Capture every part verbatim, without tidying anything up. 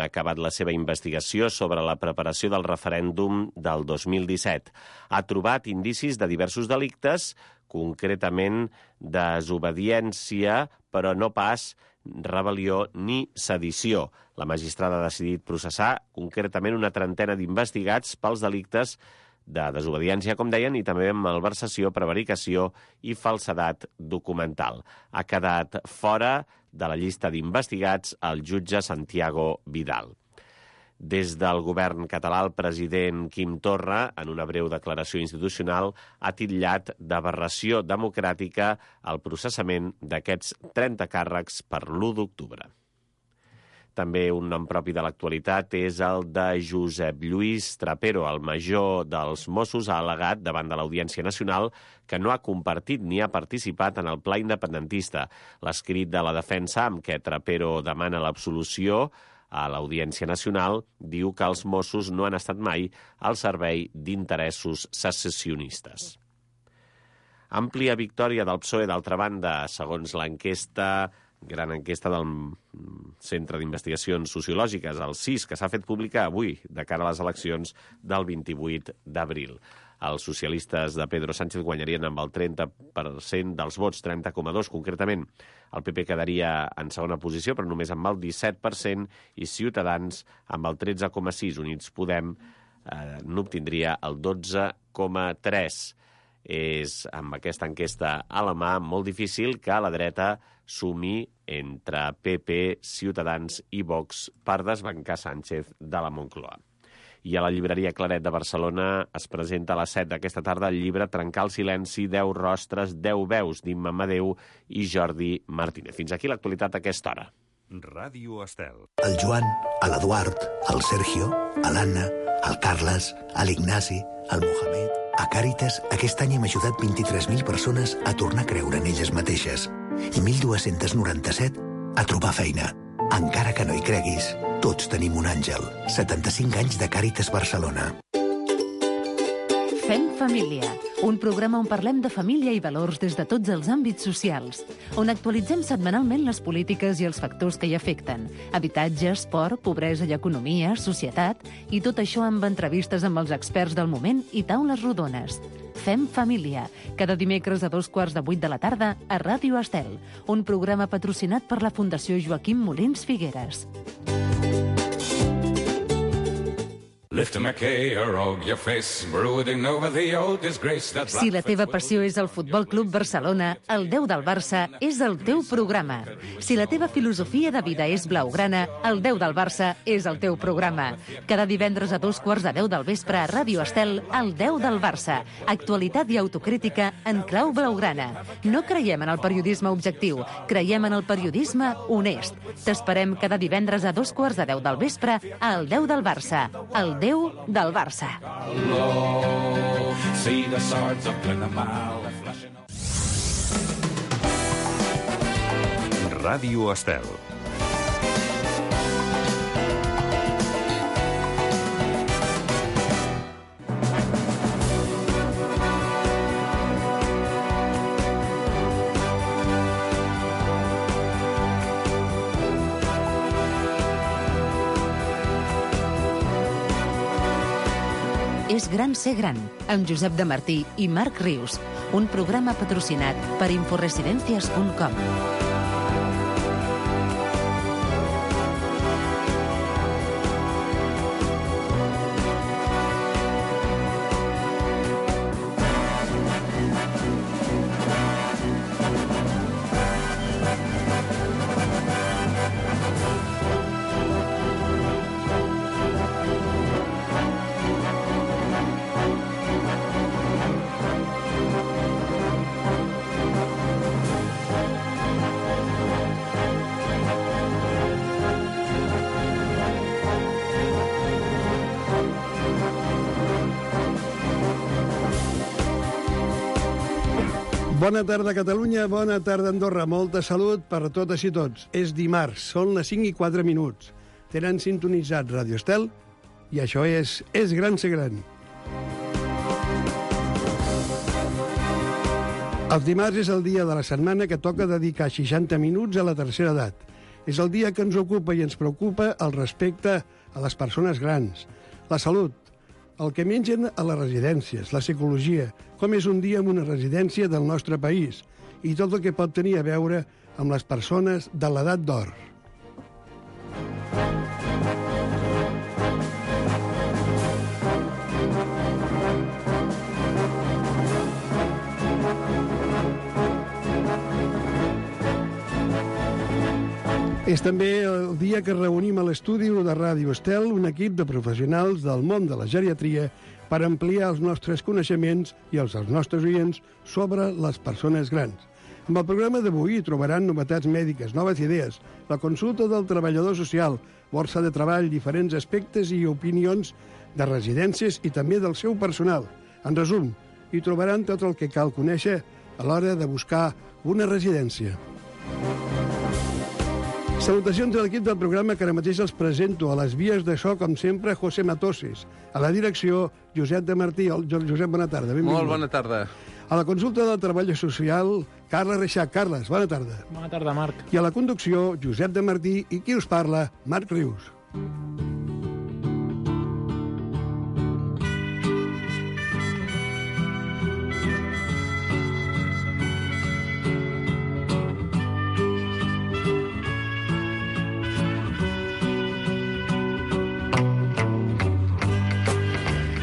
acabat la seva investigació sobre la preparació del referèndum del dos mil disset. Ha trobat indicis de diversos delictes, concretament desobediència, però no pas rebel·lió ni sedició. La magistrada ha decidit processar concretament una trentena d'investigats pels delictes de desobediència, com deien, i també malversació, prevaricació i falsedat documental. Ha quedat fora de la llista d'investigats el jutge Santiago Vidal. Des del govern català, el president Quim Torra, en una breu declaració institucional, ha titllat d'aberració democràtica el processament d'aquests trenta càrrecs per l'u d'octubre. També un nom propi de l'actualitat és el de Josep Lluís Trapero, el major dels Mossos, ha al·legat davant de l'Audiència Nacional que no ha compartit ni ha participat en el pla independentista. L'escrit de la defensa, amb què Trapero demana l'absolució a l'Audiència Nacional, diu que els Mossos no han estat mai al servei d'interessos secessionistes. Àmplia victòria del P S O E, d'altra banda, segons l'enquesta, gran enquesta del Centre d'Investigacions Sociològiques, el C I S, que s'ha fet pública avui, de cara a les eleccions del vint-i-vuit d'abril. Els socialistes de Pedro Sánchez guanyarien amb el trenta per cent dels vots, trenta coma dos concretament. El P P quedaria en segona posició, però només amb el disset per cent, i Ciutadans amb el tretze coma sis. Units Podem eh, n'obtindria el dotze coma tres. És, amb aquesta enquesta a la mà, molt difícil que a la dreta sumi entre P P, Ciutadans i Vox per desbancar Sánchez de la Moncloa. I a la llibreria Claret de Barcelona es presenta a les set d'aquesta tarda el llibre Trencar el silenci, deu rostres, deu veus, d'Imma Amadeu i Jordi Martínez. Fins aquí l'actualitat a aquesta hora. Ràdio Estel. El Joan, l'Eduard, el Sergio, l'Anna, el Carles, l'Ignasi, el Mohamed... A Càritas, aquest any hem ajudat vint-i-tres mil persones a tornar a creure en elles mateixes i mil dos-cents noranta-set a trobar feina. Encara que no hi creguis, tots tenim un àngel. setanta-cinc anys de Càritas Barcelona. Fem família, un programa on parlem de família i valors des de tots els àmbits socials, on actualitzem setmanalment les polítiques i els factors que hi afecten, habitatge, esport, pobresa i economia, societat, i tot això amb entrevistes amb els experts del moment i taules rodones. Fem família, cada dimecres a dos quarts de vuit de la tarda a Ràdio Estel, un programa patrocinat per la Fundació Joaquim Molins Figueres. Si la teva passió és el Futbol Club Barcelona, el deu del Barça és el teu programa. Si la teva filosofia de vida és blaugrana, el deu del Barça és el teu programa. Cada divendres a dos quarts de deu del vespre a Ràdio Estel, el deu del Barça. Actualitat i autocrítica en clau blaugrana. No creiem en el periodisme objectiu, creiem en el periodisme honest. T'esperem cada divendres a dos quarts de deu del vespre al deu del Barça. El deu del Barça. Ràdio Estel. És gran ser gran, amb Josep de Martí i Marc Rius, un programa patrocinat per Inforesidencias punt com. Bona tarda, Catalunya, bona tarda, Andorra. Molta salut per totes i tots. És dimarts, són les cinc i quatre minuts. Tenen sintonitzat Ràdio Estel i això és És gran ser gran. Els dimarts és el dia de la setmana que toca dedicar seixanta minuts a la tercera edat. És el dia que ens ocupa i ens preocupa el respecte a les persones grans, la salut, el que mengen a les residències, la psicologia, com és un dia en una residència del nostre país i tot el que pot tenir a veure amb les persones de l'edat d'or. És també el dia que reunim a l'estudi de Ràdio Estel un equip de professionals del món de la geriatria per ampliar els nostres coneixements i els dels nostres oients sobre les persones grans. Amb el programa d'avui trobaran novetats mèdiques, noves idees, la consulta del treballador social, borsa de treball, diferents aspectes i opinions de residències i també del seu personal. En resum, hi trobaran tot el que cal conèixer a l'hora de buscar una residència. Salutacions a l'equip del programa que ara mateix els presento. A les vies de so, com sempre, José Matoses. A la direcció, Josep de Martí. Josep, bona tarda. Benvingut. Molt bona tarda. A la consulta del treball social, Carles Reixac. Carles, bona tarda. Bona tarda, Marc. I a la conducció, Josep de Martí. I qui us parla, Marc Rius.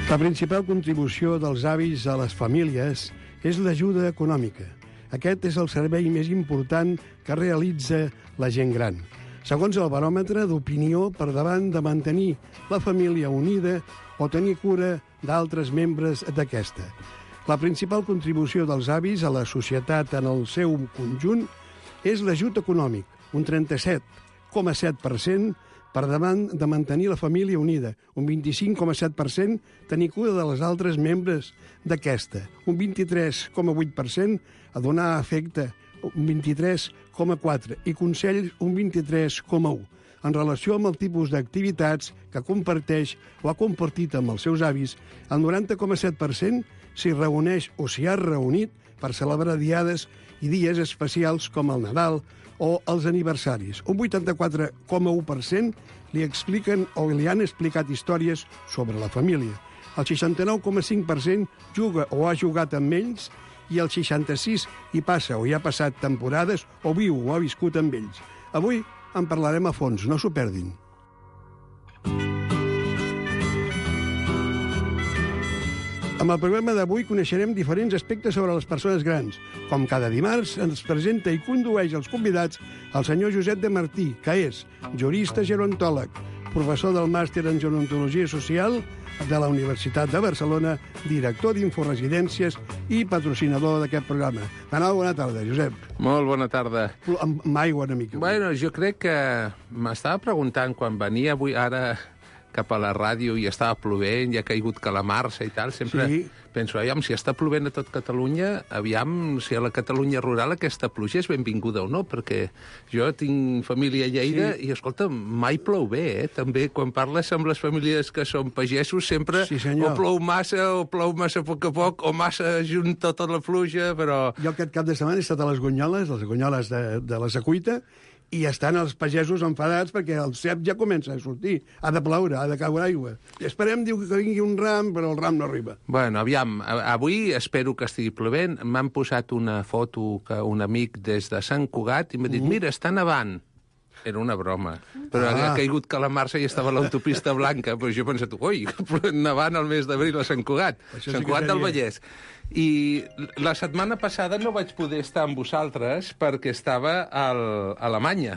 La principal contribució dels avis a les famílies és l'ajuda econòmica. Aquest és el servei més important que realitza la gent gran. Segons el baròmetre d'opinió, per davant de mantenir la família unida o tenir cura d'altres membres d'aquesta. La principal contribució dels avis a la societat en el seu conjunt és l'ajut econòmic, un trenta-set coma set per cent, per davant de mantenir la família unida, un vint-i-cinc coma set per cent tenir cura de les altres membres d'aquesta, un vint-i-tres coma vuit per cent a donar afecte, un vint-i-tres coma quatre per cent i consells, un vint-i-tres coma u per cent. En relació amb el tipus d'activitats que comparteix o ha compartit amb els seus avis, el noranta coma set per cent s'hi reuneix o s'hi ha reunit per celebrar diades i dies especials com el Nadal o els aniversaris. Un vuitanta-quatre coma u per cent li expliquen o li han explicat històries sobre la família. El seixanta-nou coma cinc per cent juga o ha jugat amb ells i el seixanta-sis per cent hi passa o hi ha passat temporades o viu o ha viscut amb ells. Avui en parlarem a fons, no s'ho perdin. Amb el programa d'avui coneixerem diferents aspectes sobre les persones grans. Com cada dimarts, ens presenta i condueix els convidats el senyor Josep de Martí, que és jurista gerontòleg, professor del màster en gerontologia social de la Universitat de Barcelona, director d'Inforesidències i patrocinador d'aquest programa. De nou, bona tarda, Josep. Molt bona tarda. Amb, amb aigua una mica. Bueno, jo crec que m'estava preguntant quan venia avui ara cap a la ràdio i estava plovent, i ha caigut calamarsa i tal, sempre Sí. penso, aviam, si està plovent a tot Catalunya, aviam si a la Catalunya rural aquesta pluja és benvinguda o no, perquè jo tinc família a Lleida Sí. i, escolta, mai plou bé, eh? També, quan parles amb les famílies que són pagesos, sempre Sí, senyor. o plou massa, o plou massa a poc a poc, o massa junt tota la pluja, però... Jo aquest cap de setmana he estat a les Gonyoles, les Gonyoles de, de la Secuita, i estan els pagesos enfadats perquè el cep ja comença a sortir. Ha de ploure, ha de caure aigua. I esperem, diu, que vingui un ram, però el ram no arriba. Bueno, aviam, avui espero que estigui plovent. M'han posat una foto que un amic des de Sant Cugat i m'ha dit, uh. mira, està nevant. Era una broma. Però ah. ha caigut calamarsa i estava a l'autopista blanca. Però jo he pensat, ui, nevant el mes d'abril a Sant Cugat. Això Sant sí Cugat del seria... Vallès. I la setmana passada no vaig poder estar amb vosaltres perquè estava al, a Alemanya.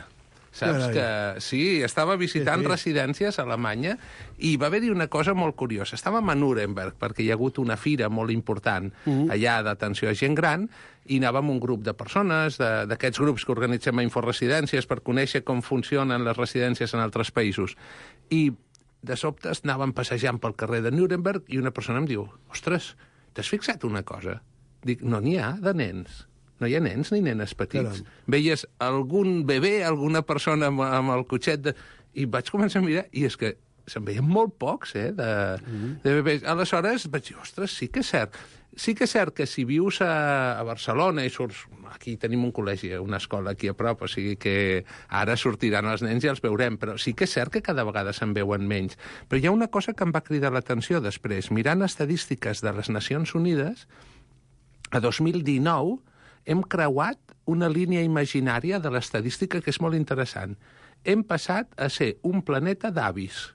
Saps Carai. que... Sí, estava visitant Sí, sí. residències a Alemanya i va haver-hi una cosa molt curiosa. Estàvem a Nuremberg perquè hi ha hagut una fira molt important Mm. allà d'atenció a gent gran i anàvem un grup de persones, de- d'aquests grups que organitzem a Inforesidències per conèixer com funcionen les residències en altres països. I de sobte anàvem passejant pel carrer de Nuremberg i una persona em diu, ostres, t'has fixat una cosa? Dic, no n'hi ha de nens. No hi ha nens ni nenes petits. Caram. Veies algun bebè, alguna persona amb, amb el cotxet de... I vaig començar a mirar, i és que se'n veien molt pocs, eh, de, mm. de bebès. Aleshores vaig dir, ostres, sí que és cert. Sí que és cert que si vius a, a Barcelona i surts... Aquí tenim un col·legi, una escola aquí a prop, o sigui que ara sortiran els nens i els veurem, però sí que és cert que cada vegada se'n veuen menys. Però hi ha una cosa que em va cridar l'atenció després. Mirant estadístiques de les Nacions Unides, a dos mil dinou hem creuat una línia imaginària de l'estadística que és molt interessant. Hem passat a ser un planeta d'avis.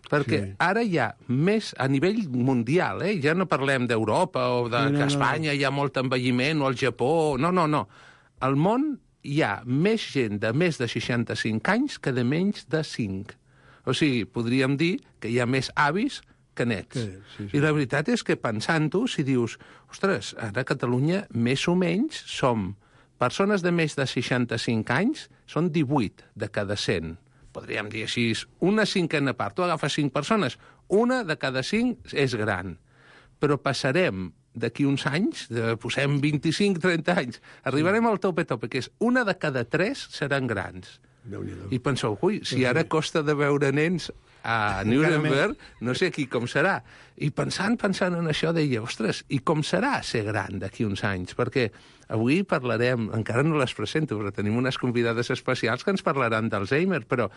Perquè sí. Ara hi ha més, a nivell mundial, eh? Ja no parlem d'Europa o de no, no, que a Espanya no. Hi ha molt envelliment, o al Japó... No, no, no. Al món hi ha més gent de més de seixanta-cinc anys que de menys de cinc. O sigui, podríem dir que hi ha més avis que nets. Que, sí, sí. I la veritat és que pensant-ho, si dius, ostres, ara a Catalunya més o menys som persones de més de seixanta-cinc anys, són divuit de cada cent. Podríem dir així, una cinquena part. Tu agafes cinc persones, una de cada cinc és gran. Però passarem d'aquí uns anys, de, posem vint-i-cinc trenta anys, arribarem al tope-tope, que és una de cada tres seran grans. I penseu, ui, si ara costa de veure nens a Nuremberg, no sé aquí com serà. I pensant, pensant en això, deia, ostres, i com serà ser gran d'aquí uns anys? Perquè avui parlarem, encara no les presento, però tenim unes convidades especials que ens parlaran d'Alzheimer, però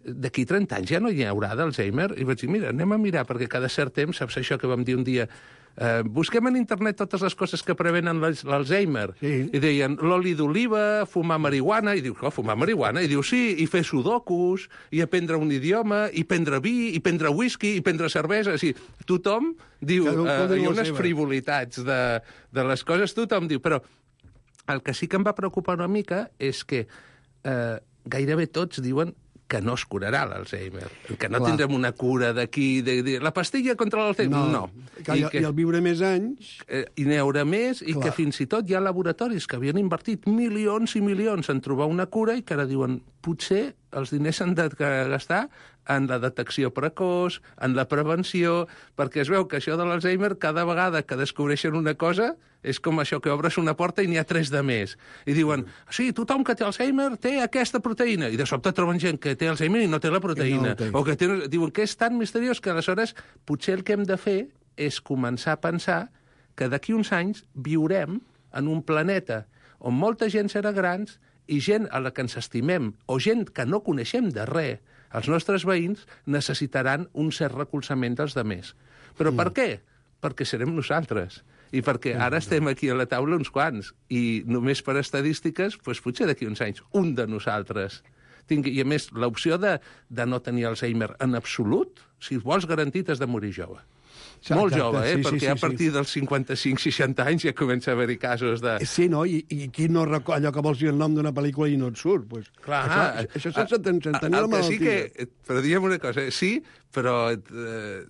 d'aquí trenta anys ja no hi haurà d'Alzheimer? I vaig dir, mira, anem a mirar, perquè cada cert temps, saps això que vam dir un dia, Uh, busquem en internet totes les coses que prevenen l'Alzheimer. Sí. I deien l'oli d'oliva, fumar marihuana, i dius, oh, fumar marihuana? I diu, sí, i fer sudokus, i aprendre un idioma, i prendre vi, i prendre whisky, i prendre cervesa. O sigui, tothom diu, uh, hi ha unes frivolitats de, de les coses, tothom diu, però el que sí que em va preocupar una mica és que uh, gairebé tots diuen que no es curarà l'Alzheimer, que no Clar. Tindrem una cura d'aquí, de, de, la pastilla contra l'Alzheimer, no. no. Que, I, que, I el viure més anys... Eh, I n'hi haurà més, Clar. I que fins i tot hi ha laboratoris que havien invertit milions i milions en trobar una cura i que ara diuen, potser els diners s'han de gastar en la detecció precoç, en la prevenció, perquè es veu que això de l'Alzheimer, cada vegada que descobreixen una cosa, és com això que obres una porta i n'hi ha tres de més. I diuen, sí, tothom que té Alzheimer té aquesta proteïna. I de sobte troben gent que té Alzheimer i no té la proteïna. No té. O que té... diuen que és tan misteriós que aleshores potser el que hem de fer és començar a pensar que d'aquí uns anys viurem en un planeta on molta gent serà grans i gent a la que ens estimem, o gent que no coneixem de res, els nostres veïns necessitaran un cert recolzament dels demés. Però mm. per què? Perquè serem nosaltres. I perquè ara estem aquí a la taula uns quants, i només per estadístiques, doncs potser d'aquí uns anys, un de nosaltres tingui. I a més, l'opció de, de no tenir Alzheimer en absolut, si vols garantit, has de morir jove. Exacte, molt jove, eh? Sí, perquè sí, sí, a partir sí. dels cinquanta-cinc seixanta anys ja comença a haver-hi casos de... Sí, no? I, i qui no recorda allò que vols dir el nom d'una pel·lícula i no et surt? Pues, Clar, això, això sense tenir la malaltia. Sí que, però diguem una cosa, sí, però eh,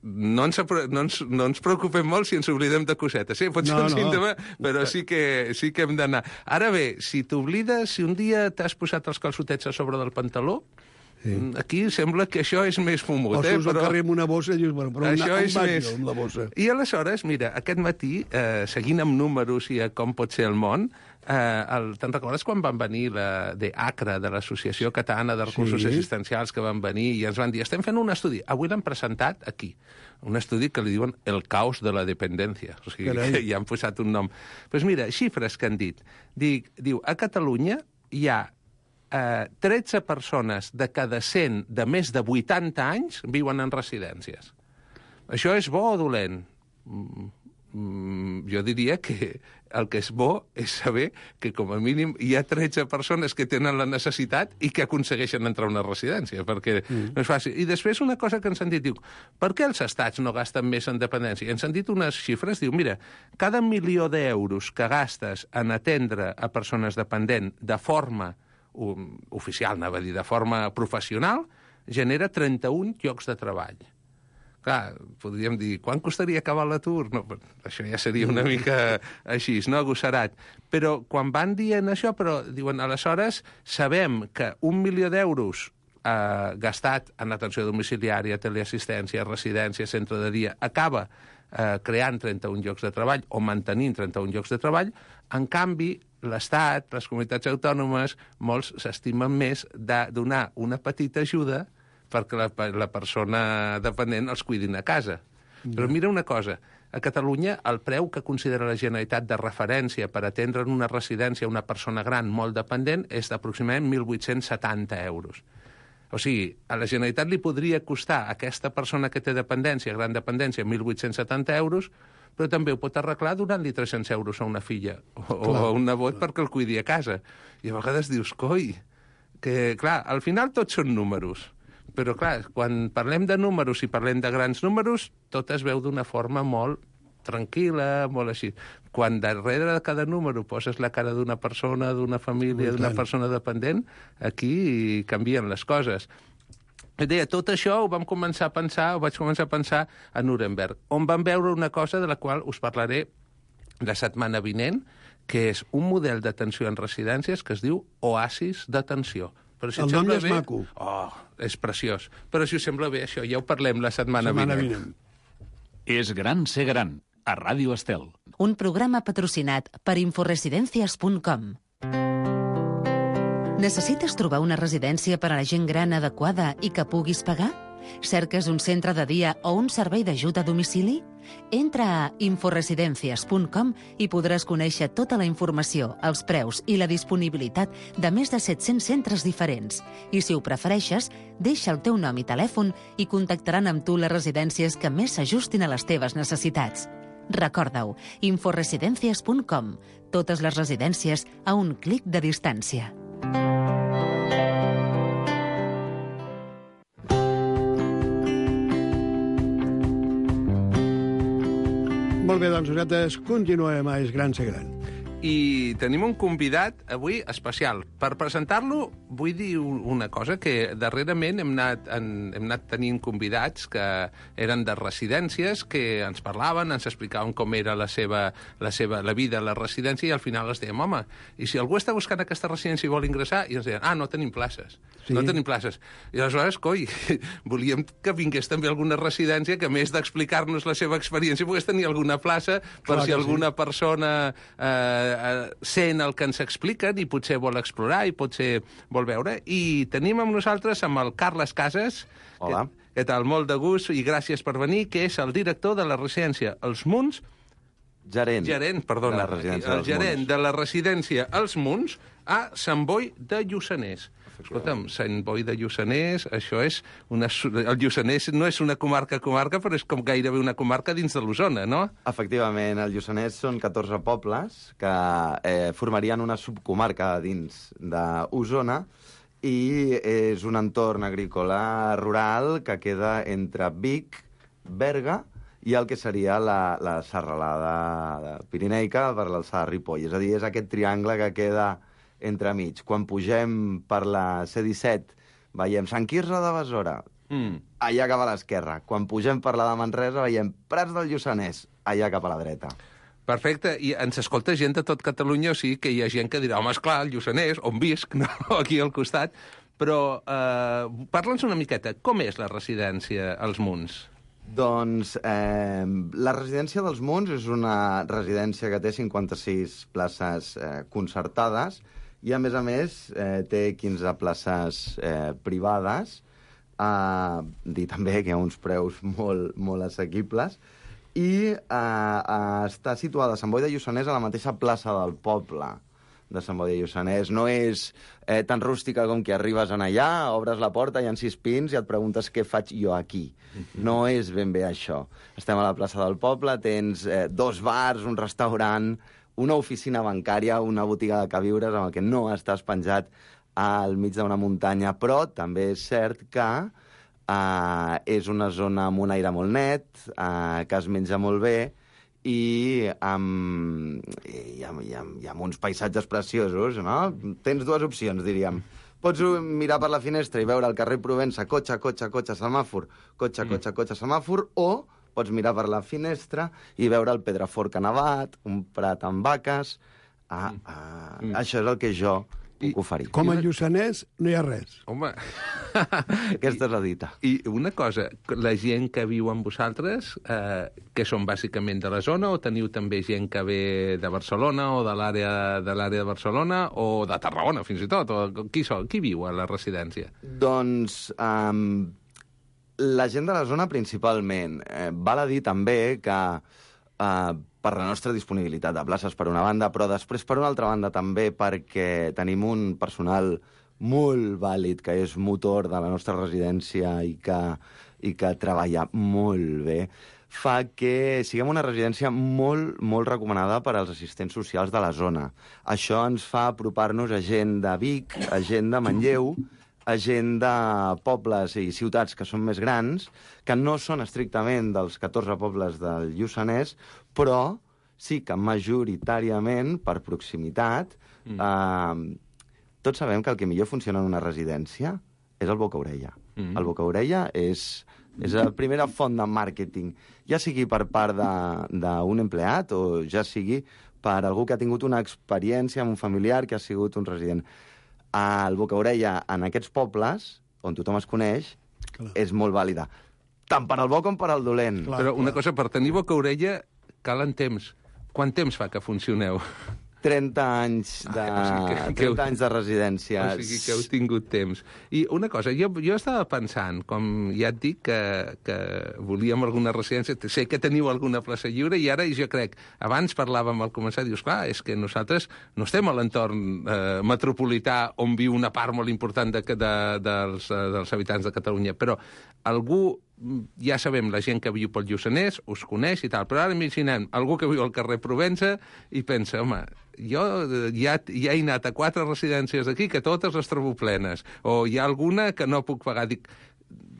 no, ens, no, ens, no ens preocupem molt si ens oblidem de cosetes. Sí, pot ser no, un no. símptoma, però sí que, sí que hem d'anar. Ara bé, si t'oblides, si un dia t'has posat els calçotets a sobre del pantaló, sí. Aquí sembla que això és més fumut. O eh? surts al carrer amb una bossa i dius, bueno, però això una, és un més... amb la bossa. I aleshores, mira, aquest matí, eh, seguint amb números i a com pot ser el món, eh, el, te'n recordes quan van venir la, de ACRA, de l'Associació Catalana de Recursos sí. Assistencials, que van venir i ens van dir, estem fent un estudi. Avui l'han presentat aquí. Un estudi que li diuen el caos de la dependència. O sigui, Carai. que ja han posat un nom. Doncs pues mira, xifres que han dit. Dic, diu, a Catalunya hi ha Uh, tretze persones de cada cent de més de vuitanta anys viuen en residències. Això és bo o dolent? Mm, mm, jo diria que el que és bo és saber que com a mínim hi ha tretze persones que tenen la necessitat i que aconsegueixen entrar a una residència, perquè mm. no és fàcil. I després una cosa que ens han dit, diu, per què els estats no gasten més en dependència? Ens han dit unes xifres, diu, mira, cada milió d'euros que gastes en atendre a persones dependents de forma oficial, anava a dir, de forma professional, genera trenta-un llocs de treball. Clar, podríem dir, quan costaria acabar l'atur? No, això ja seria una mica així, no agossarat. Però quan van dient això, però diuen, aleshores, sabem que un milió d'euros eh, gastat en atenció domiciliària, teleassistència, residència, centre de dia, acaba eh, creant trenta-un llocs de treball o mantenint trenta-un llocs de treball. En canvi, l'Estat, les comunitats autònomes, molts s'estimen més de donar una petita ajuda perquè la, la persona dependent els cuidin a casa. Però mira una cosa, a Catalunya el preu que considera la Generalitat de referència per atendre en una residència una persona gran molt dependent és d'aproximadament mil vuit-cents setanta euros. O sigui, a la Generalitat li podria costar a aquesta persona que té dependència, gran dependència, mil vuit-cents setanta euros, però també ho pot arreglar donant-li tres-cents euros a una filla o, o a un nebot perquè el cuidi a casa. I a vegades dius, coi, que clar, al final tots són números. Però, clar, quan parlem de números i parlem de grans números, tot es veu d'una forma molt tranquil·la, molt així. Quan darrere de cada número poses la cara d'una persona, d'una família, d'una persona dependent, aquí canvien les coses. Et deia, tot això ho vam començar a pensar, ho vaig començar a pensar a Nuremberg, on vam veure una cosa de la qual us parlaré la setmana vinent, que és un model d'atenció en residències que es diu Oasis d'atenció. Però si el nom ja és bé... maco. Oh, és preciós. Però si us sembla bé això, ja ho parlem la setmana, setmana vinent. vinent. És gran ser gran, a Ràdio Estel. Un programa patrocinat per inforesidencias punt com. Necessites trobar una residència per a la gent gran adequada i que puguis pagar? Cerques un centre de dia o un servei d'ajut a domicili? Entra a inforesidencias punt com i podràs conèixer tota la informació, els preus i la disponibilitat de més de set-cents centres diferents. I si ho prefereixes, deixa el teu nom i telèfon i contactaran amb tu les residències que més s'ajustin a les teves necessitats. Recorda-ho, inforesidencias punt com. Totes les residències a un clic de distància. Molt bé, doncs nosaltres continuem a És Gran Ser Gran. I tenim un convidat avui especial. Per presentar-lo vull dir una cosa, que darrerament hem anat, en, hem anat tenint convidats que eren de residències, que ens parlaven, ens explicaven com era la seva, la seva la vida a la residència, i al final els dèiem, home, i si algú està buscant aquesta residència i vol ingressar, i ens deien, ah, no tenim places. Sí. No tenim places. I aleshores, coi, volíem que vingués també alguna residència que, a més d'explicar-nos la seva experiència, pogués tenir alguna plaça per Clar si alguna sí. persona eh, sent el que ens expliquen i potser vol explorar i potser vol veure. I tenim amb nosaltres amb el Carles Casas. Hola. Que, que tal, molt de gust i gràcies per venir, que és el director de la residència Els Munts. Gerent. Gerent, perdona. De la residència el gerent de la residència Els Munts a Sant Boi de Lluçanès. Escolta'm, Sant Boi de Lluçanès, això és... Una, el Lluçanès no és una comarca-comarca, però és com gairebé una comarca dins de l'Osona, no? Efectivament, el Lluçanès són catorze pobles que eh, formarien una subcomarca dins d'Osona i és un entorn agrícola rural que queda entre Vic, Berga i el que seria la, la serralada pirineica per l'alçada de Ripoll. És a dir, és aquest triangle que queda entremig. Quan pugem per la C disset veiem Sant Quirze de Besora, mm. allà cap a l'esquerra. Quan pugem per la de Manresa veiem Prats del Lluçanès, allà cap a la dreta. Perfecte, i ens escolta gent de tot Catalunya, o sigui que hi ha gent que dirà, home, esclar, el Lluçanès, on visc, no? Aquí al costat. Però eh, parla'ns una miqueta, com és la residència als Munts? Doncs eh, la residència dels Munts és una residència que té cinquanta-sis places eh, concertades i, a més a més, eh, té quinze places eh, privades, eh, dir també que hi ha uns preus molt, molt assequibles, i eh, eh, està situada a Sant Boi de Lluçanès a la mateixa plaça del poble de Sant Boi de Lluçanès. No és eh, tan rústica com que arribes en allà, obres la porta, hi ha sis pins i et preguntes què faig jo aquí. No és ben bé això. Estem a la plaça del poble, tens eh, dos bars, un restaurant, una oficina bancària, una botiga de queviures amb el que no estàs penjat al mig d'una muntanya, però també és cert que eh, és una zona amb un aire molt net, eh, que es menja molt bé, i amb, i, amb, i, amb, i amb uns paisatges preciosos, no? Tens dues opcions, diríem. Pots mirar per la finestra i veure el carrer Provença, cotxe, cotxe, cotxe, semàfor, cotxe, mm. cotxe, cotxe, semàfor, o pots mirar per la finestra i veure el Pedrafort que ha nevat, un prat amb vaques. Ah, ah, mm. Això és el que jo puc oferir. Com a lluçanès no hi ha res. Home... Aquesta és la dita. I una cosa, la gent que viu amb vosaltres, eh, que són bàsicament de la zona, o teniu també gent que ve de Barcelona o de l'àrea de l'àrea de Barcelona o de Tarragona, fins i tot? O qui, són? Qui viu a la residència? Doncs um, la gent de la zona principalment. Eh, val a dir també que uh, per la nostra disponibilitat de places per una banda, però després per una altra banda també perquè tenim un personal molt vàlid, que és motor de la nostra residència i que, i que treballa molt bé, fa que siguem una residència molt, molt recomanada per als assistents socials de la zona. Això ens fa apropar-nos a gent de Vic, a gent de Manlleu, a gent de pobles i ciutats que són més grans, que no són estrictament dels catorze pobles del Lluçanès, però sí que majoritàriament, per proximitat, mm. eh, tots sabem que el que millor funciona en una residència és el boca-orella. Mm. El boca-orella és, és la primera font de màrqueting, ja sigui per part d'un empleat o ja sigui per algú que ha tingut una experiència amb un familiar que ha sigut un resident. El boca-orella en aquests pobles, on tothom es coneix, clar, és molt vàlida. Tant per al bo com per al dolent. Clar, Però una clar. cosa, per tenir boca-orella calen temps. Quant temps fa que funcioneu? trenta anys de, ah, o sigui que, trenta anys de residència. O sigui que heu tingut temps. I una cosa, jo, jo estava pensant, com ja et dic, que, que volíem alguna residència, sé que teniu alguna plaça lliure, i ara jo crec, abans parlàvem al començar, dius, clar, és que nosaltres no estem a l'entorn eh, metropolità on viu una part molt important de, de, dels, dels habitants de Catalunya, però algú, ja sabem, la gent que viu pel Lluçanès us coneix i tal, però ara imaginem algú que viu al carrer Provença i pensa, home, jo ja, ja he anat a quatre residències d'aquí que totes les trobo plenes, o hi ha alguna que no puc pagar. Dic,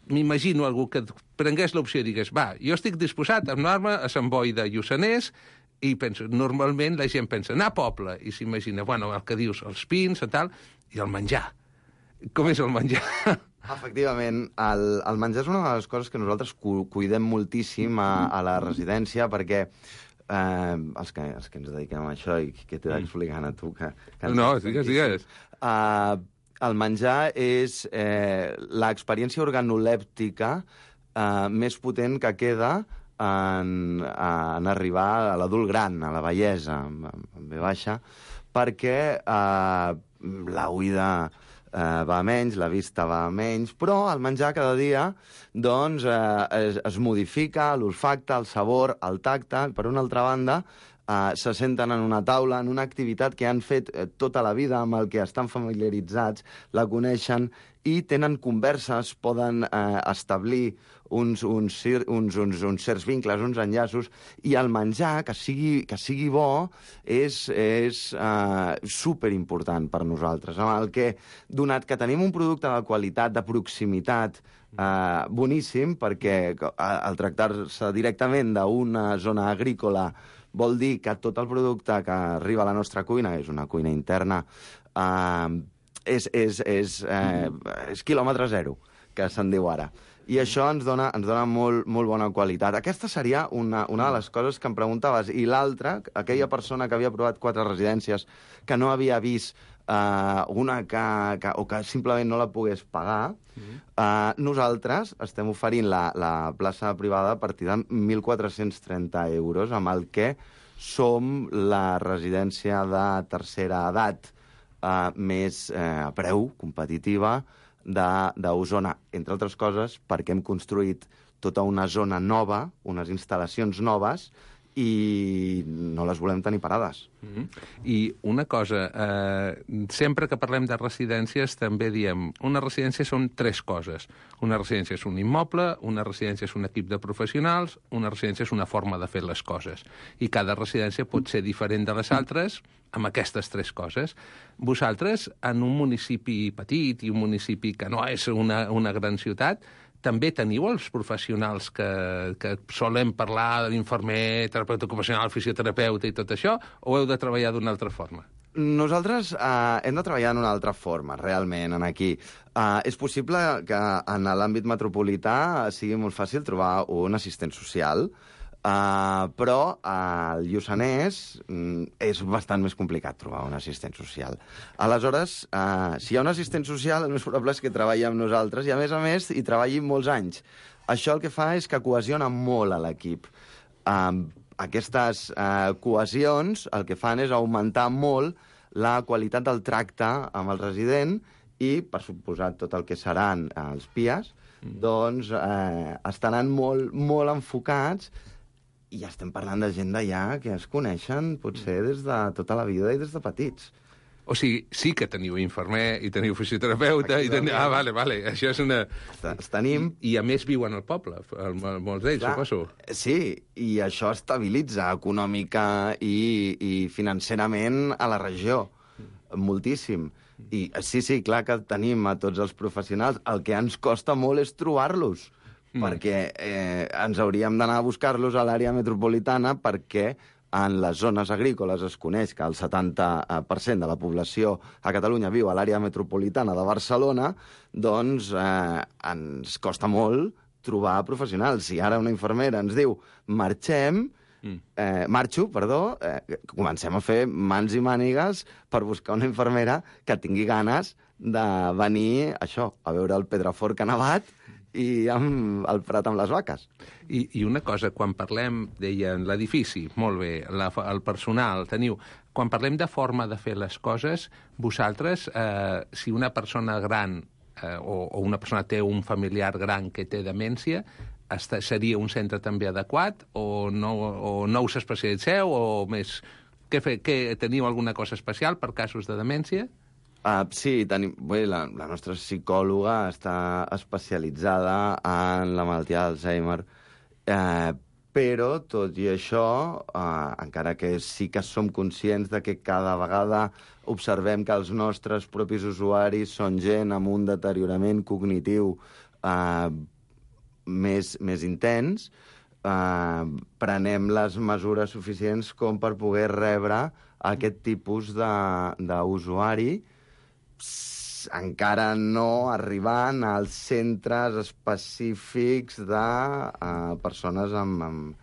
m'imagino algú que prengués l'opció i digués, va, jo estic disposat a anar-me a Sant Boi de Lluçanès, i penso, normalment la gent pensa, anar a poble, i s'imagina, bueno, el que dius, els pins i tal, i el menjar. Com és el menjar? Efectivament, el, el menjar és una de les coses que nosaltres cu cuidem moltíssim a, a la residència, perquè eh, els, que, els que ens dediquem a això, i que t'he d'explicant a tu... Que, que no, digues, digues. Uh, el menjar és eh, l'experiència organolèptica eh, més potent que queda en, en arribar a l'adult gran, a la vellesa, en, en ve baixa, perquè eh, la oïda Uh, va a menys, la vista va a menys, però el menjar cada dia doncs, uh, es, es modifica, l'olfacte, el sabor, el tacte. Per una altra banda, uh, se senten en una taula, en una activitat que han fet uh, tota la vida, amb el que estan familiaritzats, la coneixen i tenen converses, poden uh, establir uns, uns, uns, uns, uns certs vincles, uns enllaços, i el menjar, que sigui, que sigui bo, és, és uh, superimportant per nosaltres. Amb el que, donat que tenim un producte de qualitat, de proximitat, uh, boníssim, perquè al tractar-se directament d'una zona agrícola vol dir que tot el producte que arriba a la nostra cuina, és una cuina interna, uh, és, és, és, eh, és quilòmetre zero, que se'n diu ara. I això ens dona, ens dona molt, molt bona qualitat. Aquesta seria una, una de les coses que em preguntaves. I l'altra, aquella persona que havia provat quatre residències, que no havia vist uh, una que, que, o que simplement no la pogués pagar, mm-hmm. uh, nosaltres estem oferint la, la plaça privada a partir de mil quatre-cents trenta euros, amb el que som la residència de tercera edat Uh, més uh, a preu, competitiva, d'Osona, entre altres coses, perquè hem construït tota una zona nova, unes instal·lacions noves, i no les volem tenir parades. Mm-hmm. I una cosa, eh, sempre que parlem de residències també diem, una residència són tres coses. Una residència és un immoble, una residència és un equip de professionals, una residència és una forma de fer les coses. I cada residència pot ser diferent de les altres amb aquestes tres coses. Vosaltres, en un municipi petit i un municipi que no és una, una gran ciutat, també teniu els professionals que, que solem parlar de l'infermer, terapeuta ocupacional, fisioterapeuta i tot això, o heu de treballar d'una altra forma? Nosaltres eh, hem de treballar d'una altra forma, realment, en aquí. Eh, és possible que en l'àmbit metropolità sigui molt fàcil trobar un assistent social, Uh, però al Lluçanès mm, és bastant més complicat trobar un assistent social. Aleshores, uh, si hi ha un assistent social, el més probable és que treballi amb nosaltres i, a més a més, hi treballi molts anys. Això el que fa és que cohesiona molt a l'equip. Uh, aquestes uh, cohesions el que fan és augmentar molt la qualitat del tracte amb el resident i, per suposat, tot el que seran uh, els P I As, mm. doncs uh, estaran molt, molt enfocats. I ja estem parlant de gent d'allà que es coneixen potser des de tota la vida i des de petits. O sigui, sí que teniu infermer i teniu fisioterapeuta i teniu... Ah, vale, vale, això és una... Es tenim... I, I a més viuen al poble, molts d'ells, Clar, suposo. Sí, i això estabilitza econòmica i, i financerament a la regió, moltíssim. I sí, sí, clar que tenim a tots els professionals. El que ens costa molt és trobar-los. Mm. perquè eh, ens hauríem d'anar a buscar-los a l'àrea metropolitana perquè en les zones agrícoles es coneix que el setanta per cent de la població a Catalunya viu a l'àrea metropolitana de Barcelona, doncs eh, ens costa molt trobar professionals. Si ara una infermera ens diu marxem, eh, marxo, perdó, eh, comencem a fer mans i mànigues per buscar una infermera que tingui ganes de venir, això, a veure el Pedraforca nevat i amb el prat amb les vaques. I, i una cosa, quan parlem, deien, l'edifici, molt bé, la, el personal, teniu... Quan parlem de forma de fer les coses, vosaltres, eh, si una persona gran eh, o, o una persona té un familiar gran que té demència, està, seria un centre també adequat o no, o no us especialitzeu o més... Què, fe, què, teniu alguna cosa especial per casos de demència? Uh, sí, tenim, bé, la, la nostra psicòloga està especialitzada en la malaltia d'Alzheimer, eh, però, tot i això, eh, encara que sí que som conscients de que cada vegada observem que els nostres propis usuaris són gent amb un deteriorament cognitiu eh, més, més intens, eh, prenem les mesures suficients com per poder rebre aquest tipus d'usuari, encara no arribant als centres específics de uh, persones amb, amb...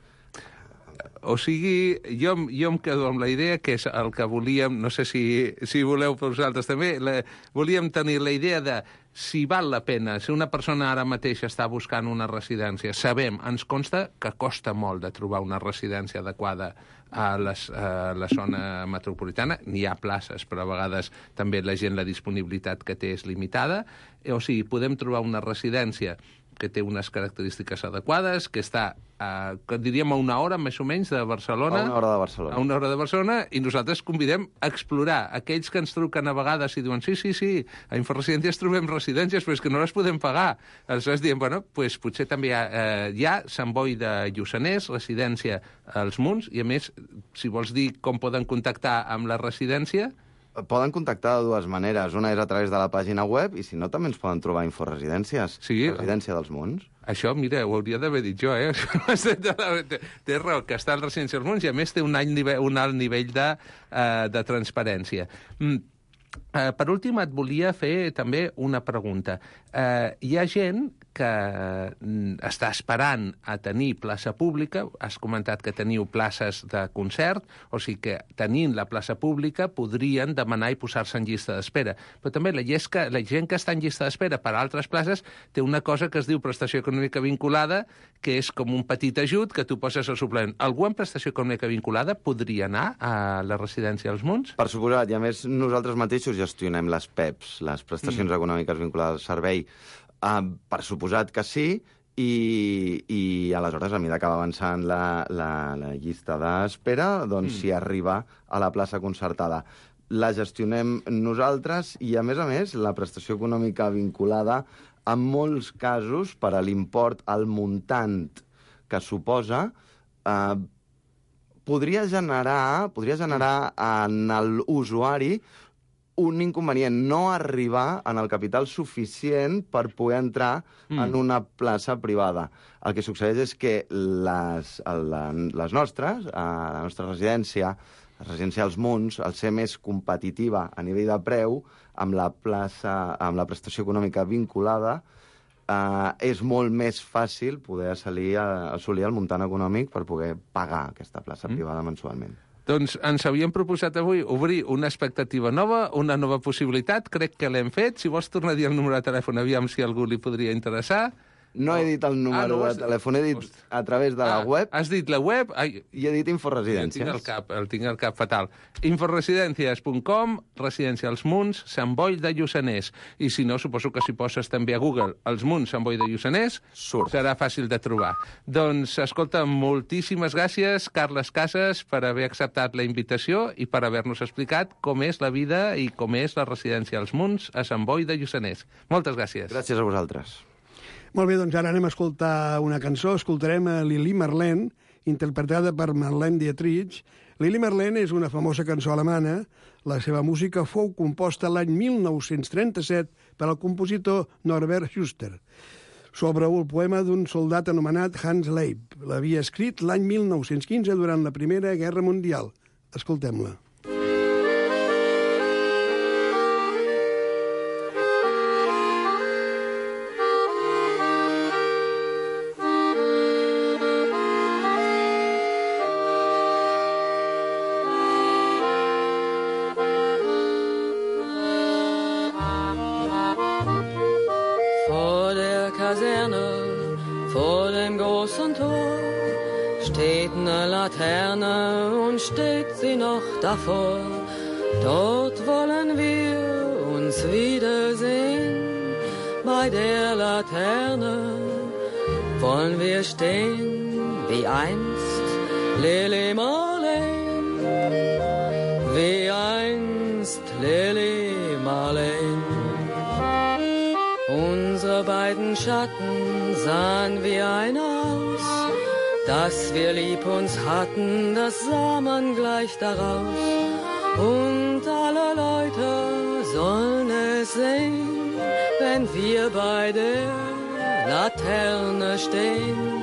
O sigui, jo, jo em quedo amb la idea que és el que volíem, no sé si, si voleu per vosaltres també, la, volíem tenir la idea de si val la pena, si una persona ara mateix està buscant una residència, sabem, ens consta que costa molt de trobar una residència adequada a, les, a la zona metropolitana. N'hi ha places, però a vegades també la gent, la disponibilitat que té és limitada. O sigui, podem trobar una residència que té unes característiques adequades, que està, eh, que diríem, a una hora, més o menys, de Barcelona. A una hora de Barcelona. A una hora de Barcelona, i nosaltres convidem a explorar. Aquells que ens truquen a vegades i diuen, sí, sí, sí, a Inforesidències trobem residències, però és que no les podem pagar. Aleshores diem, bueno, pues, potser també hi ha, eh, hi ha Sant Boi de Lluçanès, residència als Munts, i a més, si vols dir com poden contactar amb la residència... Poden contactar de dues maneres. Una és a través de la pàgina web i, si no, també ens poden trobar Inforesidències. Sí. Residència dels Munts. Això, mira, ho hauria d'haver dit jo, eh? Té raó, que està en Residència dels Munts i, a més, té un, any nivell, un alt nivell de, uh, de transparència. Mm. Uh, per últim, et volia fer també una pregunta. Uh, hi ha gent que uh, està esperant a tenir plaça pública. Has comentat que teniu places de concert, o sigui que tenint la plaça pública podrien demanar i posar-se en llista d'espera. Però també la, llesca, la gent que està en llista d'espera per a altres places té una cosa que es diu prestació econòmica vinculada, que és com un petit ajut que tu poses al suplement. Algú amb prestació econòmica vinculada podria anar a la residència als Munts? Per suposat, i a més nosaltres mateixos gestionem les P E Ps, les prestacions mm. econòmiques vinculades al servei. Uh, per suposat que sí, i, i aleshores, a mesura que va avançant la, la, la llista d'espera, doncs mm. s'hi arriba a la plaça concertada. La gestionem nosaltres i, a més a més, la prestació econòmica vinculada, en molts casos, per a l'import, al muntant que suposa, eh, podria generar, podria generar en l'usuari un inconvenient, no arribar en el capital suficient per poder entrar mm. en una plaça privada. El que succeeix és que les, la, les nostres, a la nostra residència, la residència als Munts, al ser més competitiva a nivell de preu, amb la plaça, amb la prestació econòmica vinculada, eh, és molt més fàcil poder assolir, assolir el muntant econòmic per poder pagar aquesta plaça mm. privada mensualment. Doncs ens havíem proposat avui obrir una expectativa nova, una nova possibilitat. Crec que l'hem fet. Si vols tornar a dir el número de telèfon, aviam si algú li podria interessar. No he dit el número ah, no, de telèfon, he dit Host... a través de la ah, web. Has dit la web? Ai... I he dit Inforesidències. El tinc al cap, el tinc al cap fatal. Inforesidències punt com, Residència als Munts, Sant Boi de Lluçanès. I si no, suposo que si poses també a Google els Munts, Sant Boi de Lluçanès, Surt. serà fàcil de trobar. Doncs, escolta, moltíssimes gràcies, Carles Casas, per haver acceptat la invitació i per haver-nos explicat com és la vida i com és la residència als Munts a Sant Boi de Lluçanès. Moltes gràcies. Gràcies a vosaltres. Molt bé, doncs ara anem a escoltar una cançó. Escoltarem a Lili Marlene, interpretada per Marlene Dietrich. Lili Marlene és una famosa cançó alemana. La seva música fou composta l'any mil nou-cents trenta-set per al compositor Norbert Schuster, sobre un poema d'un soldat anomenat Hans Leib. L'havia escrit l'any mil nou-cents quinze durant la Primera Guerra Mundial. Escoltem-la. Vor dem großen Tor steht eine Laterne und steht sie noch davor. Dort wollen wir uns wiedersehen. Bei der Laterne wollen wir stehen, wie einst Lili Marleen, wie einst Lili Marleen. Unsere beiden Schatten sahen wie einer aus, dass wir lieb uns hatten, das sah man gleich daraus. Und alle Leute sollen es sehen, wenn wir bei der Laterne stehen,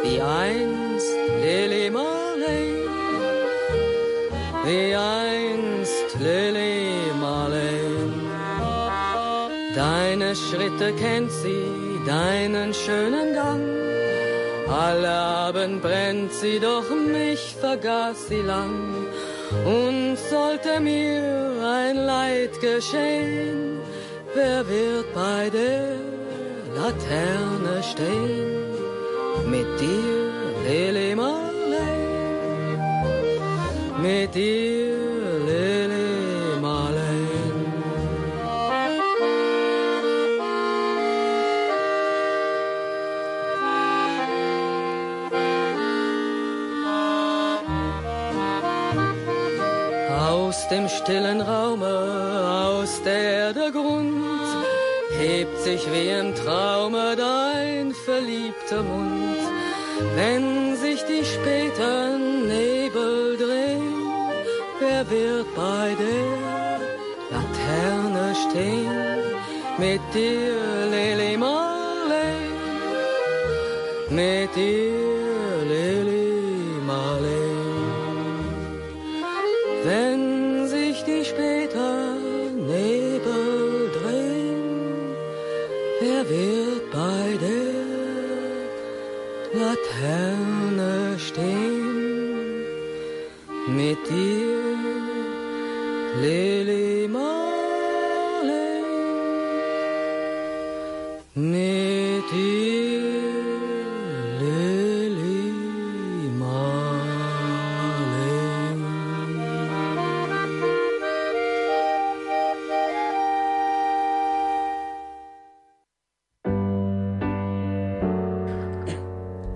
wie einst Lili Marleen, wie einst Lili Marleen. Deine Schritte kennt sie, deinen schönen Gang. Alle Abend brennt sie, doch mich vergaß sie lang. Und sollte mir ein Leid geschehen, wer wird bei der Laterne stehen? Mit dir, Lili Marleen, mit dir, Lili Marleen. Aus dem stillen Raume, aus der der Grund, hebt sich wie im Traume dein verliebter Mund. Wenn sich die späten Nebel drehen, wer wird bei der Laterne stehen? Mit dir, Lili Marleen, mit dir, Lili Marleen. Wenn sich die späten Nebel drehen, wer wird bei der Laterne stehen? Mit dir, Lili Marleen, mit dir, Lili Marleen.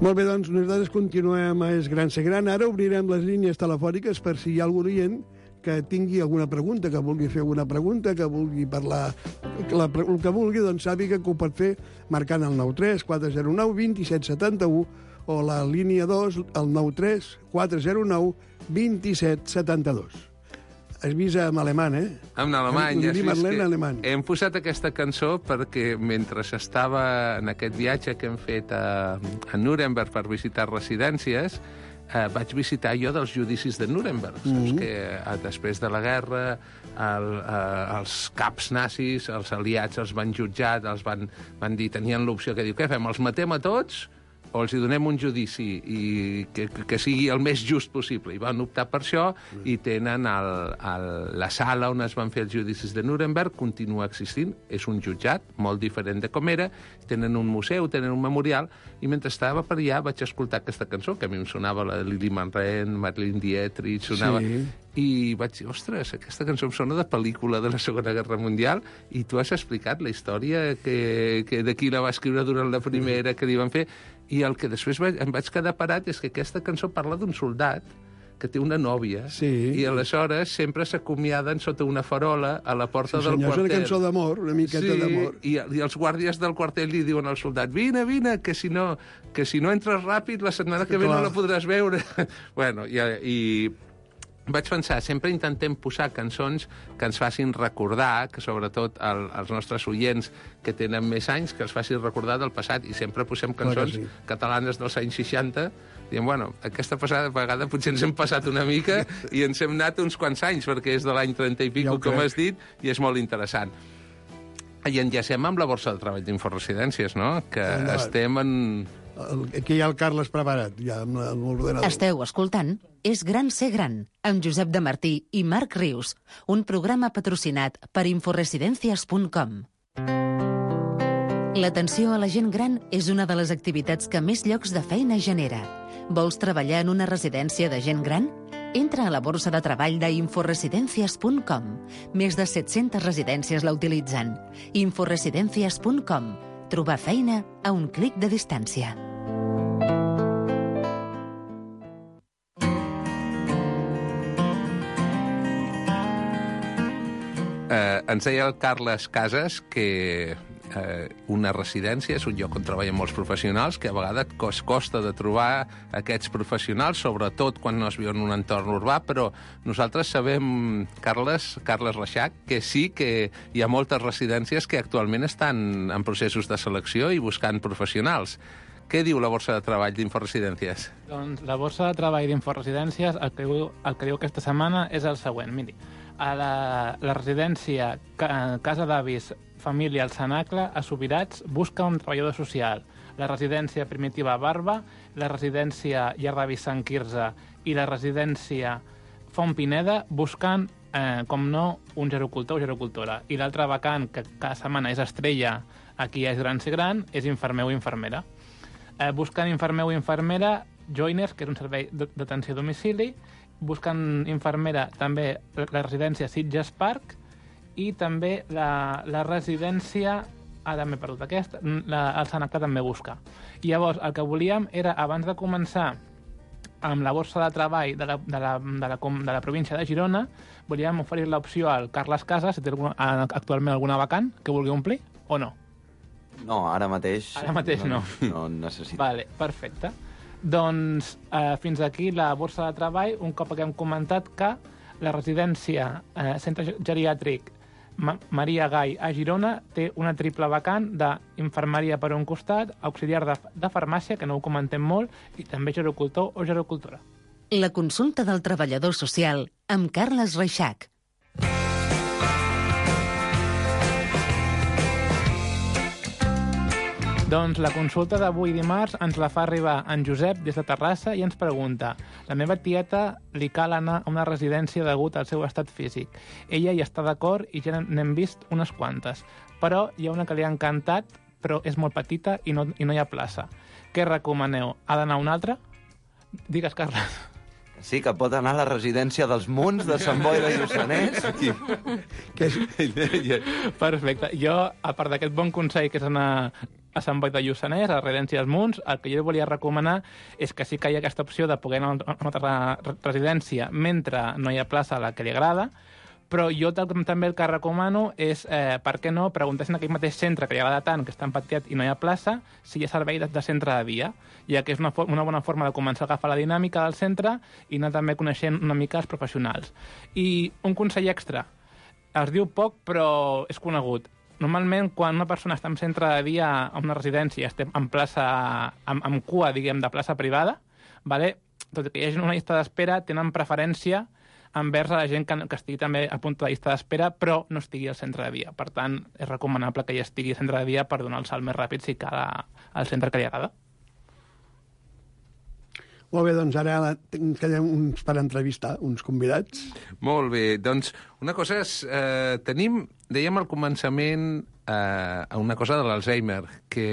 Molt bé, doncs nosaltres continuem a Es Gran Ser Gran. Ara obrirem les línies telefòniques per si hi ha algun oient que tingui alguna pregunta, que vulgui fer alguna pregunta, que vulgui parlar, la, el que vulgui, doncs sàpiga que ho pot fer marcant el nou tres quatre zero nou dos set set u o la línia dos, el nou tres quatre zero nou dos set set dos. Has vist en alemany, eh? En alemany, ja has vist que alemany. Hem posat aquesta cançó perquè mentre estava en aquest viatge que hem fet a, a Nuremberg per visitar residències, eh, vaig visitar jo dels judicis de Nuremberg. Mm -hmm. Saps que eh, després de la guerra el, eh, els caps nazis, els aliats, els van jutjar, els van, van dir, tenien l'opció que diu, què fem, els matem a tots o els hi donem un judici i que, que sigui el més just possible. I van optar per això i tenen el, el, la sala on es van fer els judicis de Nuremberg, continua existint, és un jutjat molt diferent de com era, tenen un museu, tenen un memorial, i mentre estava per allà vaig escoltar aquesta cançó, que a mi em sonava la Lili Marlene, Marlene Dietrich, sonava... Sí. I vaig dir, ostres, aquesta cançó em sona de pel·lícula de la Segona Guerra Mundial, i tu has explicat la història que, que de qui la va escriure durant la primera, que li van fer, i el que després vaig, em vaig quedar parat és que aquesta cançó parla d'un soldat que té una nòvia, sí. i aleshores sempre s'acomiaden sota una farola a la porta sí, del senyor, quartel. És una cançó d'amor, una miqueta sí, d'amor. I, i els guàrdies del quartel li diuen al soldat, vine, vine, que si no, que si no entres ràpid, la setmana que ve no la podràs veure. bueno, i... i vaig pensar, sempre intentem posar cançons que ens facin recordar, que sobretot el, els nostres oients que tenen més anys, que els facin recordar del passat, i sempre posem cançons sí. catalanes dels anys seixanta, diem, bueno, aquesta passada vegada potser ens hem passat una mica i ens hem anat uns quants anys, perquè és de l'any trenta i pico, ja com has dit, i és molt interessant. I enllacem amb la borsa de treball d'Inforesidències, no?, que endavant. Estem en... Aquí hi ha el Carles preparat, ja amb l'ordenador. Esteu escoltant És gran ser gran, amb Josep de Martí i Marc Rius, un programa patrocinat per Inforesidències punt com. L'atenció a la gent gran és una de les activitats que més llocs de feina genera. Vols treballar en una residència de gent gran? Entra a la borsa de treball d'Inforesidències punt com. Més de set-centes residències la utilitzen. Inforesidències punt com. Trobar feina a un clic de distància. Eh, ens deia el Carles Casas que eh, una residència és un lloc on treballen molts professionals, que a vegades cos, costa de trobar aquests professionals, sobretot quan no es viu en un entorn urbà, però nosaltres sabem, Carles, Carles Reixac, que sí que hi ha moltes residències que actualment estan en processos de selecció i buscant professionals. Què diu la borsa de treball d'Inforesidències? Doncs la borsa de treball d'Inforesidències el, que diu, el que diu aquesta setmana és el següent. Miri, a la, la residència Casa d'Avis Família al Cenacle, a Subirats, busca un treballador social. La residència Primitiva Barba, la residència Llar d'Avis Sant Quirze i la residència Font Pineda busquen, eh, com no, un gerocultor o gerocultora. I l'altra vacant, que cada setmana és estrella, aquí és gran ser gran, és infermer o infermera. Eh, busquen infermer o infermera, Joiners, que és un servei d'atenció a domicili, busquen infermera també la residència Sitges Park i també la, la residència... Ara m'he perdut aquesta, la, el Cenacle també busca. I llavors, el que volíem era, abans de començar amb la borsa de treball de la, de la, de la, de la província de Girona, volíem oferir l'opció al Carles Casas, si té alguna, actualment alguna vacant que vulgui omplir, o no? No, ara mateix... Ara mateix no. No, no necessito. Vale, perfecte. Doncs eh, fins aquí la borsa de treball, un cop que hem comentat que la residència eh, Centre Geriàtric Ma Maria Gai a Girona té una triple vacant d'infermeria per un costat, auxiliar de, de farmàcia, que no ho comentem molt, i també gerocultor o gerocultora. La consulta del treballador social amb Carles Reixac. Doncs la consulta d'avui dimarts ens la fa arribar en Josep des de Terrassa i ens pregunta: la meva tieta li cal anar a una residència degut al seu estat físic. Ella hi està d'acord i ja n'hem vist unes quantes, però hi ha una que li ha encantat, però és molt petita i no, i no hi ha plaça. Què recomaneu? Ha d'anar a una altra? Digues, Carles. Sí, que pot anar a la residència dels Munts, de Sant Boi de Lluçanès. Que és... Perfecte. Jo, a part d'aquest bon consell que és anar a Sant Boi de Lluçanès, a la residència dels Munts, el que jo volia recomanar és que sí que hi ha aquesta opció de poder anar a una altra residència mentre no hi ha plaça a la que li agrada, però jo també el que recomano és, eh, per què no, preguntar en aquell mateix centre que li agrada tant, que està empatiat i no hi ha plaça, si hi ha servei de, de centre de dia, ja que és una, una bona forma de començar a agafar la dinàmica del centre i anar també coneixent una mica els professionals. I un consell extra, es diu poc però és conegut. Normalment, quan una persona està en centre de dia a una residència, estem en plaça, amb, amb cua, diguem, de plaça privada, vale? tot i que hi hagi una llista d'espera, tenen preferència envers a la gent que, que estigui també a punt de la llista d'espera, però no estigui al centre de dia. Per tant, és recomanable que hi estigui al centre de dia per donar el salt més ràpid si cal al centre que li agrada. Molt bé, doncs ara queden uns per entrevistar, uns convidats. Molt bé, doncs una cosa és... Eh, tenim, dèiem al començament, eh, una cosa de l'Alzheimer, que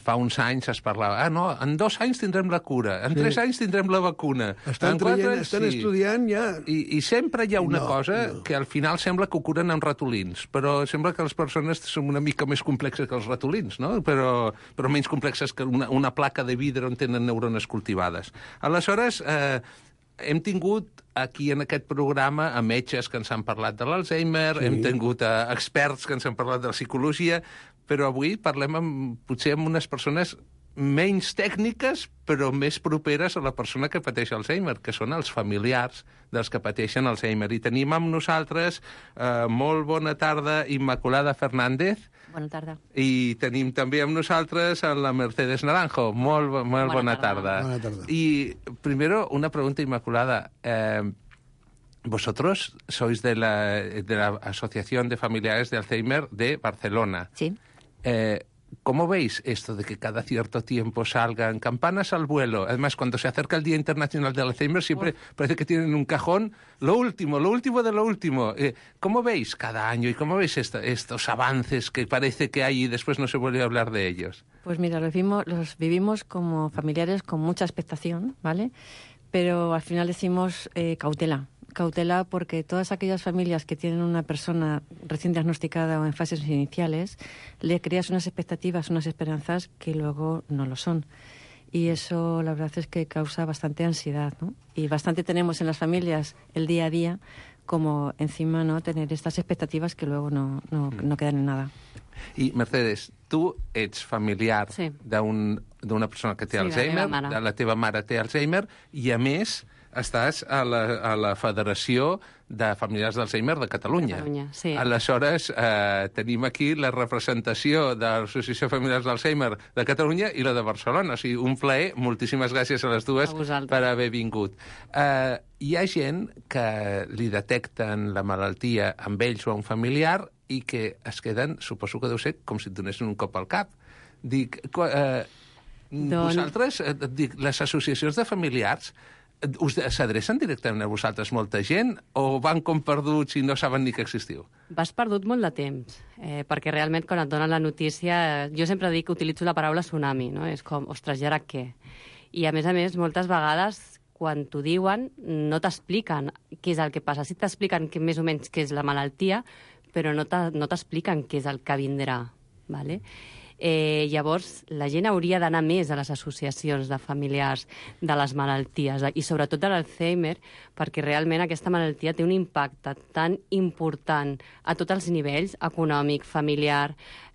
fa uns anys es parlava, ah, no, en dos anys tindrem la cura, en sí. tres anys tindrem la vacuna. Estan, traient, anys, estan sí. estudiant ja... I, I sempre hi ha una no, cosa no. que al final sembla que ho curen amb ratolins, però sembla que les persones són una mica més complexes que els ratolins, no? Però, però menys complexes que una, una placa de vidre on tenen neurones cultivades. Aleshores, eh, hem tingut aquí en aquest programa a metges que ens han parlat de l'Alzheimer, sí. hem tingut a experts que ens han parlat de la psicologia, però avui parlem amb, potser amb unes persones menys tècniques, però més properes a la persona que pateix Alzheimer, que són els familiars dels que pateixen Alzheimer. I tenim amb nosaltres, eh, molt bona tarda, Immaculada Fernández. Bona tarda. I tenim també amb nosaltres a la Mercedes Naranjo. Molt, molt bona, bona tarda. tarda. Bona tarda. Y primero, una pregunta, Inmaculada. Eh, vosotros sois de la, de la Asociación de Familiares de Alzheimer de Barcelona. Sí. Eh, ¿Cómo veis esto de que cada cierto tiempo salgan campanas al vuelo? Además, cuando se acerca el Día Internacional del Alzheimer, siempre oh. parece que tienen un cajón lo último, lo último de lo último. Eh, ¿Cómo veis cada año y cómo veis esto, estos avances que parece que hay y después no se vuelve a hablar de ellos? Pues mira, los vivimos, los vivimos como familiares con mucha expectación, ¿vale? Pero al final decimos eh, cautela. Cautela porque todas aquellas familias que tienen una persona recién diagnosticada o en fases iniciales, le creas unas expectativas, unas esperanzas que luego no lo son. Y eso la verdad es que causa bastante ansiedad, ¿no? Y bastante tenemos en las familias el día a día como encima no tener estas expectativas que luego no, no, no quedan en nada. I, Mercedes, tu ets familiar sí. d'una persona que té sí, Alzheimer, la, de la teva mare té Alzheimer, i a més estàs a la, a la Federació de Familiars d'Alzheimer de Catalunya. Catalunya, sí. Aleshores, eh, tenim aquí la representació de l'Associació Familiars d'Alzheimer de Catalunya i la de Barcelona. O sigui, un plaer, moltíssimes gràcies a les dues per haver vingut. Eh, hi ha gent que li detecten la malaltia amb ells o a un familiar i que es queden, suposo que deu ser, com si et donessin un cop al cap. Dic, eh, Don... vosaltres, eh, dic, les associacions de familiars us s'adrecen directament a vosaltres molta gent o van com perduts i no saben ni que existiu? Vas perdut molt de temps, eh, perquè realment quan et donen la notícia... Jo sempre dic que utilitzo la paraula tsunami, no? És com, ostres, i ara què? I a més a més, moltes vegades, quan t'ho diuen, no t'expliquen què és el que passa. Sí t'expliquen que, més o menys què és la malaltia, però no t'expliquen què és el que vindrà, ¿vale? Eh, llavors, la gent hauria d'anar més a les associacions de familiars de les malalties i sobretot de l'Alzheimer, perquè realment aquesta malaltia té un impacte tan important a tots els nivells, econòmic, familiar,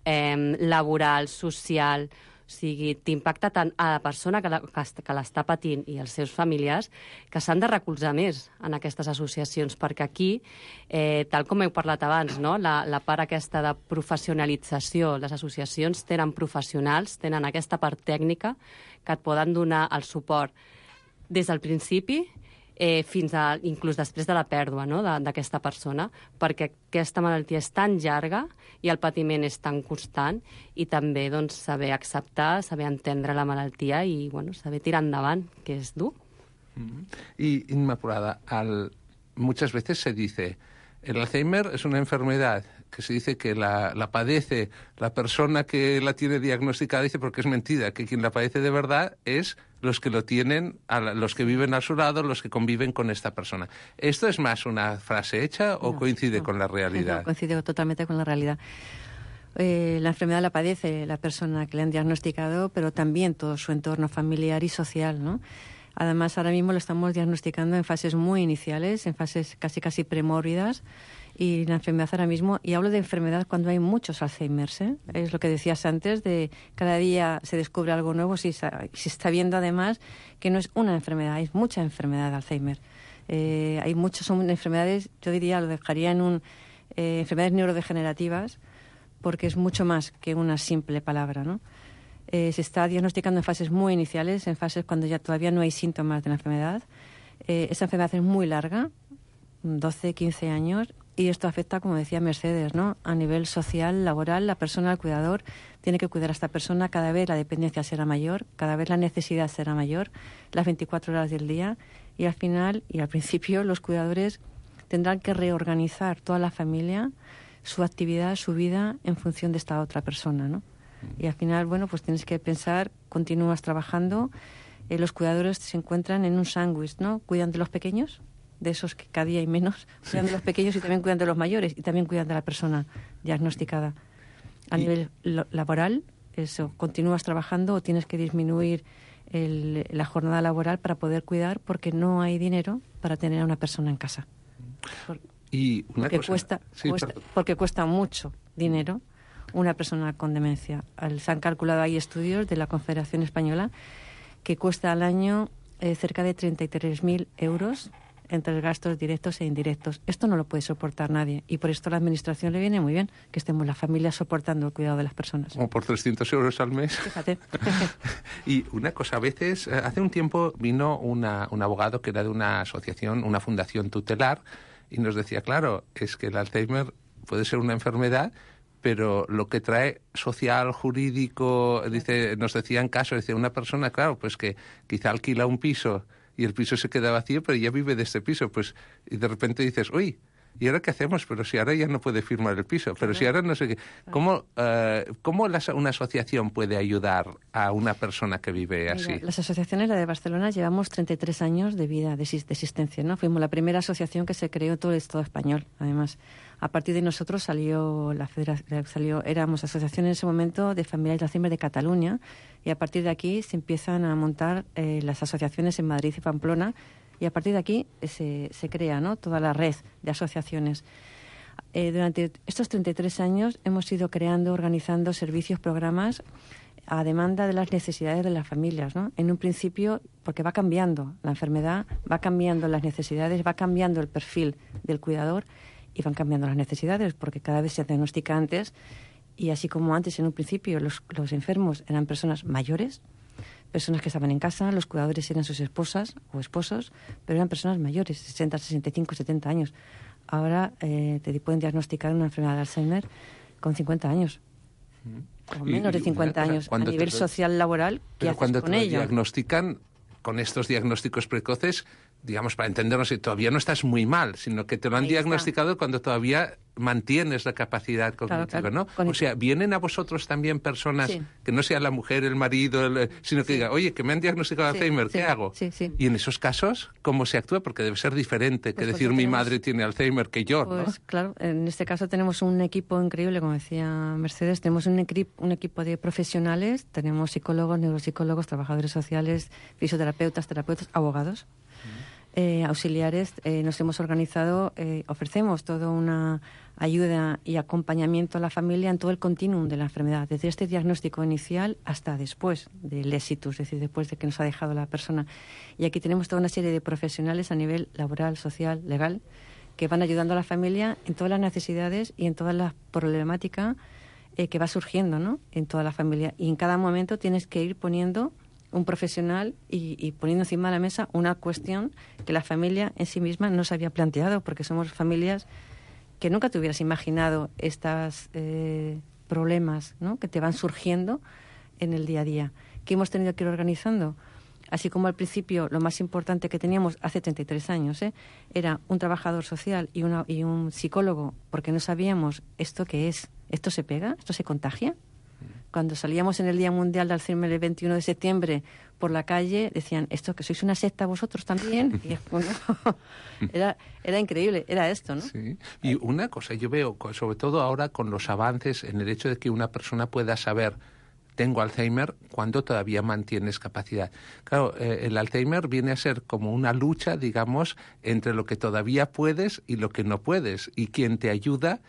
eh, laboral, social. O sigui, t'impacta tant a la persona que, la, que l'està patint i els seus familiars que s'han de recolzar més en aquestes associacions, perquè aquí, eh, tal com heu parlat abans, no? la, la part aquesta de professionalització, les associacions tenen professionals, tenen aquesta part tècnica que et poden donar el suport des del principi eh, fins a, inclús després de la pèrdua, no? d'aquesta persona, perquè aquesta malaltia és tan llarga i el patiment és tan constant i també doncs, saber acceptar, saber entendre la malaltia i bueno, saber tirar endavant, que és dur. Mm-hmm. Y, Inmaculada, al, muchas veces se dice, el Alzheimer es una enfermedad que se dice que la, la padece la persona que la tiene diagnosticada, dice porque es mentira, que quien la padece de verdad es los que lo tienen, a la, los que viven a su lado, los que conviven con esta persona. ¿Esto es más una frase hecha o no, coincide no, con la realidad? No, coincide totalmente con la realidad. Eh, la enfermedad la padece la persona que le han diagnosticado, pero también todo su entorno familiar y social, ¿no? Además, ahora mismo lo estamos diagnosticando en fases muy iniciales, en fases casi casi premórbidas, y la enfermedad ahora mismo, y hablo de enfermedad cuando hay muchos Alzheimer's, ¿eh? Es lo que decías antes, de cada día se descubre algo nuevo, si se está viendo además que no es una enfermedad, hay mucha enfermedad de Alzheimer. Eh, hay muchas, son enfermedades, yo diría, lo dejaría en un eh, enfermedades neurodegenerativas, porque es mucho más que una simple palabra, ¿no? Eh, se está diagnosticando en fases muy iniciales, en fases cuando ya todavía no hay síntomas de la enfermedad. Eh, esa enfermedad es muy larga, doce, quince años, y esto afecta, como decía Mercedes, ¿no? A nivel social, laboral, la persona, el cuidador, tiene que cuidar a esta persona. Cada vez la dependencia será mayor, cada vez la necesidad será mayor, las veinticuatro horas del día, y al final y al principio los cuidadores tendrán que reorganizar toda la familia, su actividad, su vida, en función de esta otra persona, ¿no? Y al final, bueno, pues tienes que pensar, continúas trabajando, eh, los cuidadores se encuentran en un sándwich, ¿no? Cuidan de los pequeños, de esos que cada día hay menos, cuidan de los pequeños y también cuidan de los mayores y también cuidan de la persona diagnosticada. A y... nivel lo, laboral, eso, continúas trabajando o tienes que disminuir el, la jornada laboral para poder cuidar porque no hay dinero para tener a una persona en casa. Por, y una porque, cosa... cuesta, sí, cuesta, porque cuesta mucho dinero una persona con demencia. Se han calculado, hay estudios de la Confederación Española que cuesta al año eh, cerca de treinta y tres mil euros entre gastos directos e indirectos. Esto no lo puede soportar nadie y por esto a la Administración le viene muy bien que estemos las familias soportando el cuidado de las personas. Como por trescientos euros al mes. Fíjate. Y una cosa, a veces, hace un tiempo vino una, un abogado que era de una asociación, una fundación tutelar, y nos decía, claro, es que el Alzheimer puede ser una enfermedad, pero lo que trae social, jurídico, dice, nos decían casos, dice una persona, claro, pues que quizá alquila un piso y el piso se queda vacío, pero ya vive de este piso, pues, y de repente dices, uy, ¿y ahora qué hacemos? Pero si ahora ya no puede firmar el piso, pero si ahora no sé qué. ¿Cómo, uh, cómo la, una asociación puede ayudar a una persona que vive así? Mira, las asociaciones, la de Barcelona, llevamos treinta y tres años de vida, de, de existencia, ¿no? Fuimos la primera asociación que se creó en todo el Estado español, además. A partir de nosotros salió la federación, salió, éramos asociación en ese momento de familias de Alzheimer de Cataluña, y a partir de aquí se empiezan a montar eh, las asociaciones en Madrid y Pamplona, y a partir de aquí se, se crea, ¿no?, toda la red de asociaciones. Eh, durante estos treinta y tres años hemos ido creando, organizando servicios, programas a demanda de las necesidades de las familias, ¿no? En un principio, porque va cambiando la enfermedad, va cambiando las necesidades, va cambiando el perfil del cuidador y van cambiando las necesidades porque cada vez se diagnostica antes y así como antes en un principio los, los enfermos eran personas mayores, personas que estaban en casa, los cuidadores eran sus esposas o esposos, pero eran personas mayores, sesenta, sesenta y cinco, setenta años. Ahora eh, te pueden diagnosticar una enfermedad de Alzheimer con cincuenta años. O menos de cincuenta años. A nivel te... social, laboral, ¿qué haces cuando con te ello? Diagnostican con estos diagnósticos precoces, digamos, para entendernos, todavía no estás muy mal, sino que te lo han Ahí diagnosticado está. Cuando todavía mantienes la capacidad cognitiva, claro, claro. ¿no? Con o sea, ¿vienen a vosotros también personas, sí. que no sea la mujer, el marido, el, sino que sí. diga, oye, que me han diagnosticado sí, Alzheimer, ¿qué sí, hago? Sí, sí. Y en esos casos, ¿cómo se actúa? Porque debe ser diferente pues que decir, mi madre tiene Alzheimer que yo, pues, ¿no? Claro, en este caso tenemos un equipo increíble, como decía Mercedes, tenemos un, equi un equipo de profesionales, tenemos psicólogos, neuropsicólogos, trabajadores sociales, fisioterapeutas, terapeutas, abogados. Eh, auxiliares, eh, nos hemos organizado, eh, ofrecemos toda una ayuda y acompañamiento a la familia en todo el continuum de la enfermedad, desde este diagnóstico inicial hasta después del éxito, es decir, después de que nos ha dejado la persona. Y aquí tenemos toda una serie de profesionales a nivel laboral, social, legal, que van ayudando a la familia en todas las necesidades y en toda la problemática eh, que va surgiendo, ¿no?, en toda la familia. Y en cada momento tienes que ir poniendo un profesional y, y poniendo encima de la mesa una cuestión que la familia en sí misma no se había planteado, porque somos familias que nunca te hubieras imaginado estos eh, problemas, ¿no?, que te van surgiendo en el día a día, que hemos tenido que ir organizando. Así como al principio lo más importante que teníamos hace treinta y tres años ¿eh? era un trabajador social y, una, y un psicólogo, porque no sabíamos esto qué es, esto se pega, esto se contagia. Cuando salíamos en el Día Mundial de Alzheimer el veintiuno de septiembre por la calle, decían, ¿esto que sois una secta vosotros también? Y, bueno, era, era increíble, era esto, ¿no? Sí. Y una cosa, yo veo, sobre todo ahora con los avances en el hecho de que una persona pueda saber, tengo Alzheimer, cuando todavía mantienes capacidad. Claro, eh, el Alzheimer viene a ser como una lucha, digamos, entre lo que todavía puedes y lo que no puedes. Y quien te ayuda,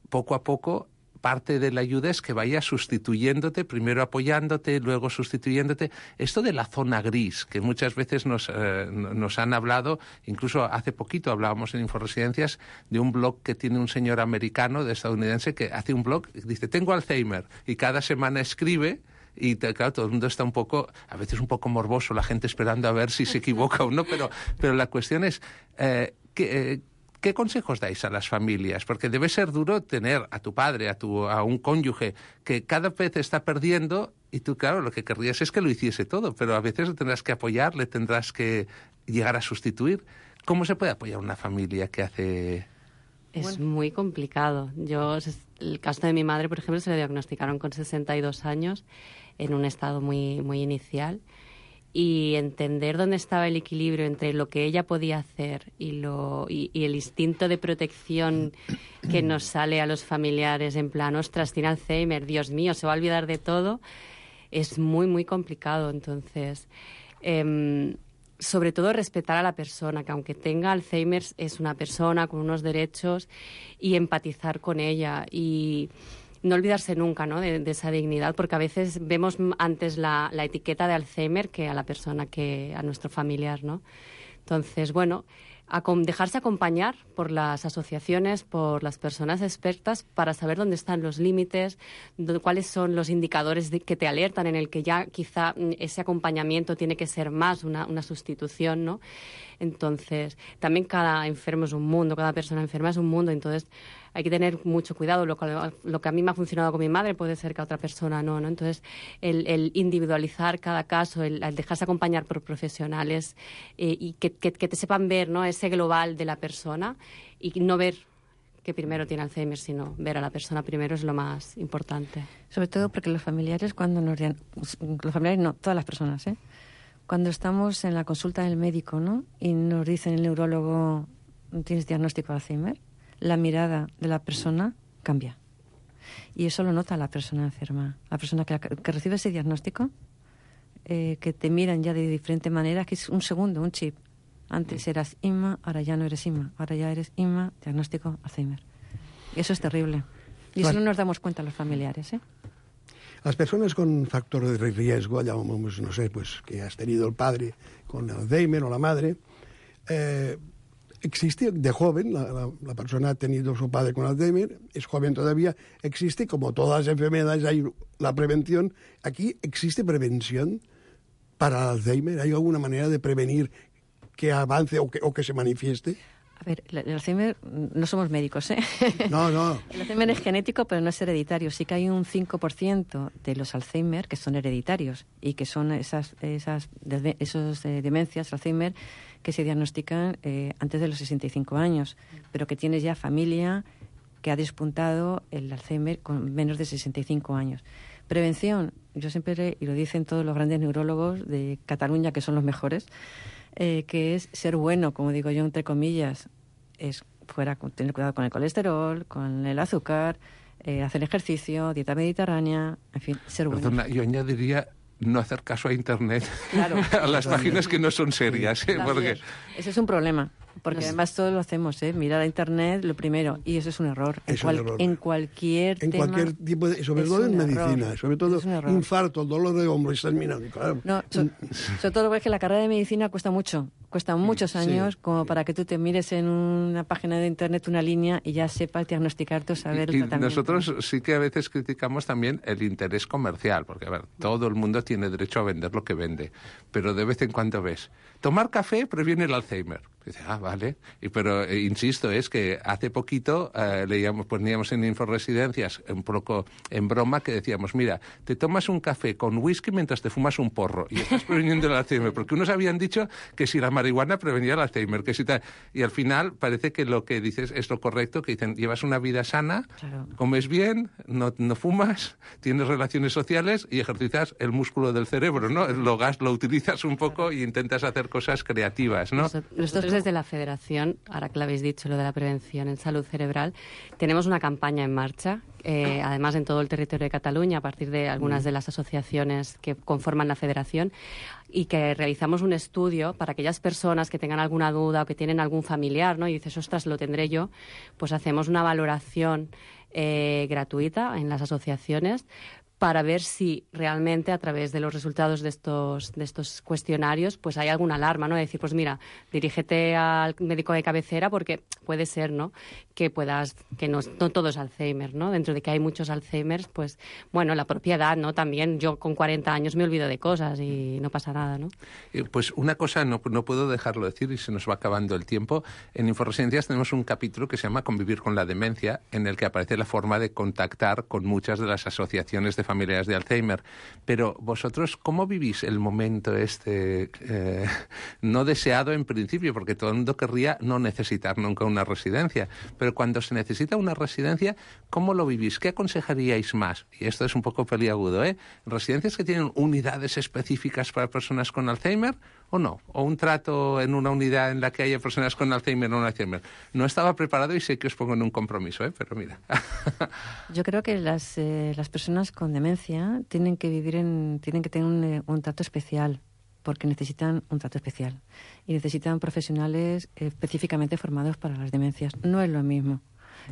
poco a poco, parte de la ayuda es que vaya sustituyéndote, primero apoyándote, luego sustituyéndote. Esto de la zona gris, que muchas veces nos, eh, nos han hablado, incluso hace poquito hablábamos en Inforesidencias de un blog que tiene un señor americano, de estadounidense, que hace un blog, dice, tengo Alzheimer, y cada semana escribe y te, claro, todo el mundo está un poco, a veces un poco morboso, la gente esperando a ver si se equivoca o no, pero, pero la cuestión es, eh, que, eh, ¿qué consejos dais a las familias? Porque debe ser duro tener a tu padre, a, tu, a un cónyuge, que cada vez está perdiendo y tú, claro, lo que querrías es que lo hiciese todo, pero a veces le tendrás que apoyar, le tendrás que llegar a sustituir. ¿Cómo se puede apoyar una familia que hace...? Es Bueno. muy complicado. Yo, el caso de mi madre, por ejemplo, se le diagnosticaron con sesenta y dos años, en un estado muy, muy inicial, y entender dónde estaba el equilibrio entre lo que ella podía hacer y, lo, y, y el instinto de protección que nos sale a los familiares, en plan, ostras, tiene Alzheimer, Dios mío, se va a olvidar de todo, es muy, muy complicado. Entonces, eh, sobre todo respetar a la persona, que aunque tenga Alzheimer es una persona con unos derechos, y empatizar con ella y no olvidarse nunca, ¿no?, de, de esa dignidad, porque a veces vemos antes la, la etiqueta de Alzheimer que a la persona, que a nuestro familiar, ¿no? Entonces, bueno, a dejarse acompañar por las asociaciones, por las personas expertas, para saber dónde están los límites, cuáles son los indicadores de, que te alertan, en el que ya quizá ese acompañamiento tiene que ser más una, una sustitución, ¿no? Entonces, también cada enfermo es un mundo, cada persona enferma es un mundo, entonces hay que tener mucho cuidado. Lo que, lo que a mí me ha funcionado con mi madre puede ser que a otra persona no, ¿no? Entonces, el, el individualizar cada caso, el, el dejarse acompañar por profesionales eh, y que, que, que te sepan ver, ¿no?, ese global de la persona, y no ver que primero tiene Alzheimer, sino ver a la persona primero, es lo más importante. Sobre todo porque los familiares, cuando nos... Los familiares no, todas las personas, ¿eh? Cuando estamos en la consulta del médico, ¿no?, y nos dicen el neurólogo, tienes diagnóstico de Alzheimer, la mirada de la persona cambia. Y eso lo nota la persona enferma. La persona que, que recibe ese diagnóstico, eh, que te miran ya de diferente manera, que es un segundo, un chip. Antes eras Inma, ahora ya no eres Inma. Ahora ya eres Inma, diagnóstico Alzheimer. Y eso es terrible. Y eso no nos damos cuenta los familiares, ¿eh? Las personas con factor de riesgo, llamamos, no sé, pues que has tenido el padre con Alzheimer o la madre, eh, existe de joven, la, la, la persona ha tenido su padre con Alzheimer, es joven todavía, existe, como todas las enfermedades, hay la prevención. Aquí existe prevención para Alzheimer. ¿Hay alguna manera de prevenir que avance o que, o que se manifieste? A ver, el Alzheimer, no somos médicos, ¿eh? No, no. El Alzheimer es genético, pero no es hereditario. Sí que hay un cinco por ciento de los Alzheimer que son hereditarios y que son esas, esas esos, eh, demencias, Alzheimer, que se diagnostican eh, antes de los sesenta y cinco años, pero que tienes ya familia que ha despuntado el Alzheimer con menos de sesenta y cinco años. Prevención, yo siempre, y lo dicen todos los grandes neurólogos de Cataluña, que son los mejores, eh, que es ser bueno, como digo yo, entre comillas, es fuera, tener cuidado con el colesterol, con el azúcar, eh, hacer ejercicio, dieta mediterránea, en fin, ser bueno. Perdona, yo añadiría no hacer caso a Internet, claro, a las páginas que no son serias, ¿eh? Claro, Porque... Eso es un problema, porque además todos lo hacemos, ¿eh? Mirar a Internet lo primero, y eso es un error. En, es cual, un error. en cualquier en tema... cualquier tipo de... Sobre todo en medicina, error. sobre todo infarto, dolor de hombro, estás mirando, claro. No, so, sobre todo porque la carrera de medicina cuesta mucho, cuesta muchos años, sí, como para que tú te mires en una página de Internet una línea y ya sepas diagnosticarte o saber y, el y tratamiento. Nosotros sí que a veces criticamos también el interés comercial, porque, a ver, todo el mundo tiene derecho a vender lo que vende, pero de vez en cuando ves, tomar café previene el Alzheimer. Dice, ah, vale. Y, pero, eh, insisto, es que hace poquito eh, leíamos, poníamos en Inforesidencias un poco en broma que decíamos, mira, te tomas un café con whisky mientras te fumas un porro y estás preveniendo el Alzheimer, porque unos habían dicho que si la marihuana prevenía el Alzheimer, que si tal. Y al final parece que lo que dices es lo correcto, que dicen, llevas una vida sana, claro, comes bien, no, no fumas, tienes relaciones sociales y ejercitas el músculo del cerebro, ¿no? Lo gas, lo utilizas un poco, claro, y intentas hacer cosas creativas, ¿no? Nosotros desde la Federación, ahora que lo habéis dicho, lo de la prevención en salud cerebral, tenemos una campaña en marcha, eh, además en todo el territorio de Cataluña, a partir de algunas de las asociaciones que conforman la Federación, y que realizamos un estudio para aquellas personas que tengan alguna duda o que tienen algún familiar, ¿no? Y dices, ostras, lo tendré yo, pues hacemos una valoración eh, gratuita en las asociaciones para ver si realmente a través de los resultados de estos, de estos cuestionarios pues hay alguna alarma, ¿no? De decir, pues mira, dirígete al médico de cabecera porque puede ser, ¿no?, que puedas, que no, no todo es Alzheimer, ¿no? Dentro de que hay muchos Alzheimer, pues bueno, la propia edad, ¿no? También yo con cuarenta años me olvido de cosas y no pasa nada, ¿no? Eh, pues una cosa no, no puedo dejarlo decir y se nos va acabando el tiempo. En Inforesidencias tenemos un capítulo que se llama Convivir con la demencia, en el que aparece la forma de contactar con muchas de las asociaciones de familiares de Alzheimer. Pero vosotros, ¿cómo vivís el momento este eh, no deseado en principio? Porque todo el mundo querría no necesitar nunca una residencia. Pero cuando se necesita una residencia, ¿cómo lo vivís? ¿Qué aconsejaríais más? Y esto es un poco peliagudo, ¿eh? ¿Residencias que tienen unidades específicas para personas con Alzheimer o no? ¿O un trato en una unidad en la que haya personas con Alzheimer o no Alzheimer? No estaba preparado y sé que os pongo en un compromiso, ¿eh? Pero mira. Yo creo que las, eh, las personas con demencia tienen que vivir en, tienen que tener un, un trato especial, porque necesitan un trato especial y necesitan profesionales específicamente formados para las demencias. No es lo mismo.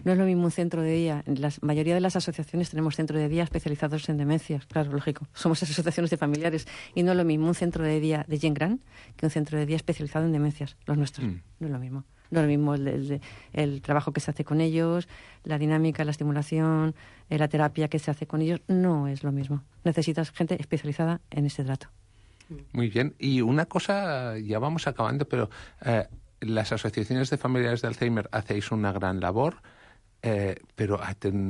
No es lo mismo un centro de día. En la mayoría de las asociaciones tenemos centros de día especializados en demencias. Claro, lógico. Somos asociaciones de familiares. Y no es lo mismo un centro de día de Gent Gran que un centro de día especializado en demencias. Los nuestros. Mm. No es lo mismo. No es lo mismo el, el, el trabajo que se hace con ellos, la dinámica, la estimulación, eh, la terapia que se hace con ellos. No es lo mismo. Necesitas gente especializada en ese trato. Muy bien. Y una cosa, ya vamos acabando, pero eh, las asociaciones de familiares de Alzheimer hacéis una gran labor. Eh, pero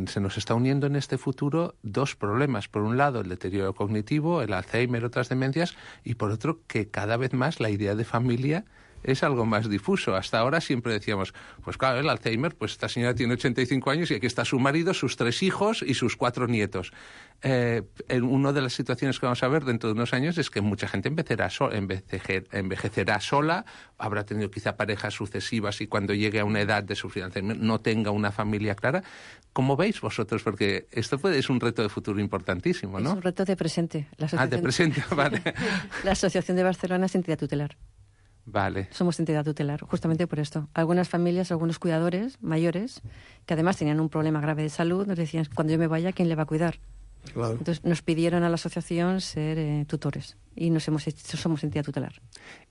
se nos está uniendo en este futuro dos problemas. Por un lado, el deterioro cognitivo, el Alzheimer, otras demencias, y por otro, que cada vez más la idea de familia es algo más difuso. Hasta ahora siempre decíamos, pues claro, el Alzheimer, pues esta señora tiene ochenta y cinco años y aquí está su marido, sus tres hijos y sus cuatro nietos. Eh, en una de las situaciones que vamos a ver dentro de unos años es que mucha gente envejecerá, so envejecer, envejecerá sola, habrá tenido quizá parejas sucesivas y cuando llegue a una edad de sufrir Alzheimer no tenga una familia clara. ¿Cómo veis vosotros? Porque esto puede, es un reto de futuro importantísimo, ¿no? Es un reto de presente. La ah, de presente, vale. La Asociación de Barcelona es entidad tutelar. Vale. Somos entidad tutelar, justamente por esto. Algunas familias, algunos cuidadores mayores, que además tenían un problema grave de salud, nos decían, cuando yo me vaya, ¿quién le va a cuidar? Claro. Entonces nos pidieron a la asociación ser eh, tutores y nos hemos hecho, somos entidad tutelar.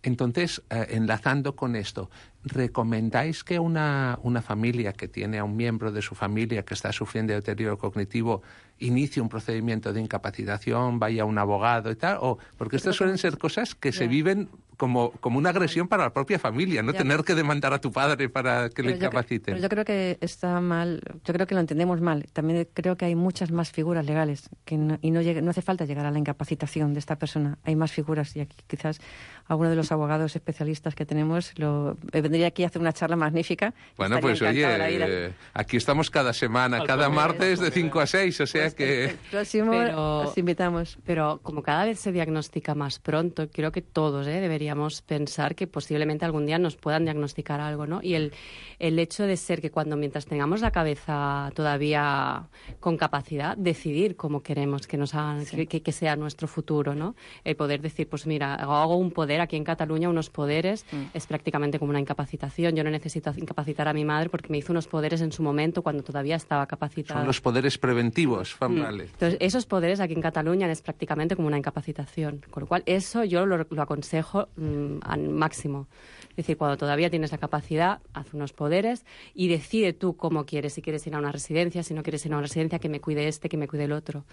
Entonces, eh, enlazando con esto, ¿recomendáis que una, una familia que tiene a un miembro de su familia que está sufriendo de deterioro cognitivo inicie un procedimiento de incapacitación, vaya a un abogado y tal? O, porque estas suelen ser cosas que yeah. se viven como, como una agresión para la propia familia, no yeah. tener que demandar a tu padre para que pero le incapaciten. Yo, pero yo creo que está mal, yo creo que lo entendemos mal. También creo que hay muchas más figuras legales que no, y no, llegue, no hace falta llegar a la incapacitación de esta persona. Hay más figuras y aquí quizás alguno de los abogados especialistas que tenemos lo, vendría aquí a hacer una charla magnífica. Bueno, pues oye, eh, aquí estamos cada semana, Al cada martes de cinco a seis, o sea pues que... El próximo pero, os invitamos. Pero como cada vez se diagnostica más pronto, creo que todos eh, deberíamos pensar que posiblemente algún día nos puedan diagnosticar algo, ¿no? Y el, el hecho de ser que cuando mientras tengamos la cabeza todavía con capacidad, decidir cómo queremos que nos hagan, sí. que, que sea nuestro futuro, ¿no? El poder decir, pues mira, hago un poder aquí en Cataluña, unos poderes, mm. es prácticamente como una incapacitación. Yo no necesito incapacitar a mi madre porque me hizo unos poderes en su momento cuando todavía estaba capacitada. Son los poderes preventivos, familiares. Mm. Entonces, esos poderes aquí en Cataluña es prácticamente como una incapacitación. Con lo cual, eso yo lo, lo aconsejo mm, al máximo. Es decir, cuando todavía tienes la capacidad, haz unos poderes y decide tú cómo quieres. Si quieres ir a una residencia, si no quieres ir a una residencia, que me cuide este, que me cuide el otro.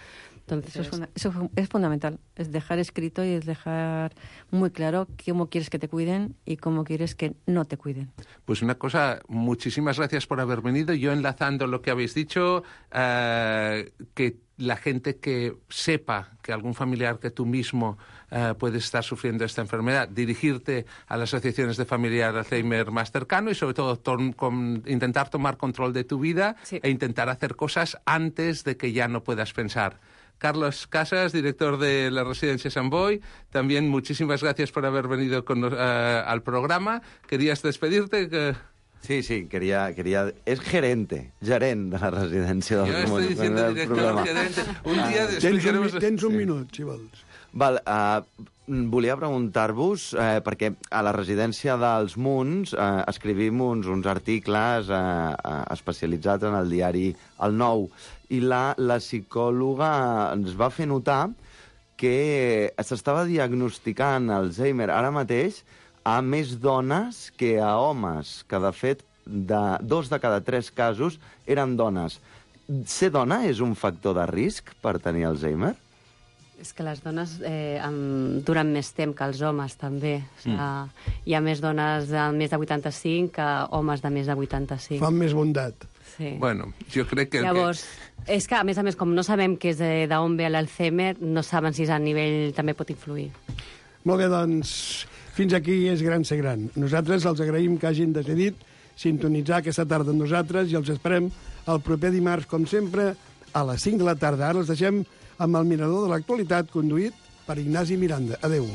Entonces, eso es, una, eso es fundamental. Es dejar escrito y es dejar muy claro cómo quieres que te cuiden y cómo quieres que no te cuiden. Pues una cosa, muchísimas gracias por haber venido. Yo enlazando lo que habéis dicho, eh, que la gente que sepa que algún familiar que tú mismo uh, puede estar sufriendo esta enfermedad, dirigirte a las asociaciones de familiar Alzheimer más cercano y sobre todo con, intentar tomar control de tu vida sí. e intentar hacer cosas antes de que ya no puedas pensar. Carlos Casas, director de la Residencia Sant Boi, también muchísimas gracias por haber venido con, uh, al programa. ¿Querías despedirte? Que... Sí, sí, quería, quería... Es gerente, gerent de la residència del Jo estic dient director, gerente. Un dia ah, tens, un, tens un minut, si vols. Val, uh, volia preguntar-vos, eh, perquè a la residència dels Munts eh, escrivim uns, uns articles eh, eh, especialitzats en el diari El Nou, i la, la psicòloga ens va fer notar que s'estava diagnosticant Alzheimer ara mateix a més dones que a homes, que de fet de dos de cada tres casos eren dones. Ser dona és un factor de risc per tenir Alzheimer? És que les dones eh, amb, duren més temps que els homes, també. O sigui, mm. Hi ha més dones de més de vuitanta-cinc que homes de més de vuitanta-cinc. Fan més bondat. Sí. Bueno, jo crec que... Llavors, que... és que, a més a més, com no sabem que és d'on ve l'Alzheimer, no saben si a nivell també pot influir. Molt bé, doncs, fins aquí és Gran Ser Gran. Nosaltres els agraïm que hagin decidit sintonitzar aquesta tarda amb nosaltres i els esperem el proper dimarts, com sempre, a les cinc de la tarda. Ara els deixem amb el mirador de l'actualitat conduït per Ignasi Miranda. Adéu.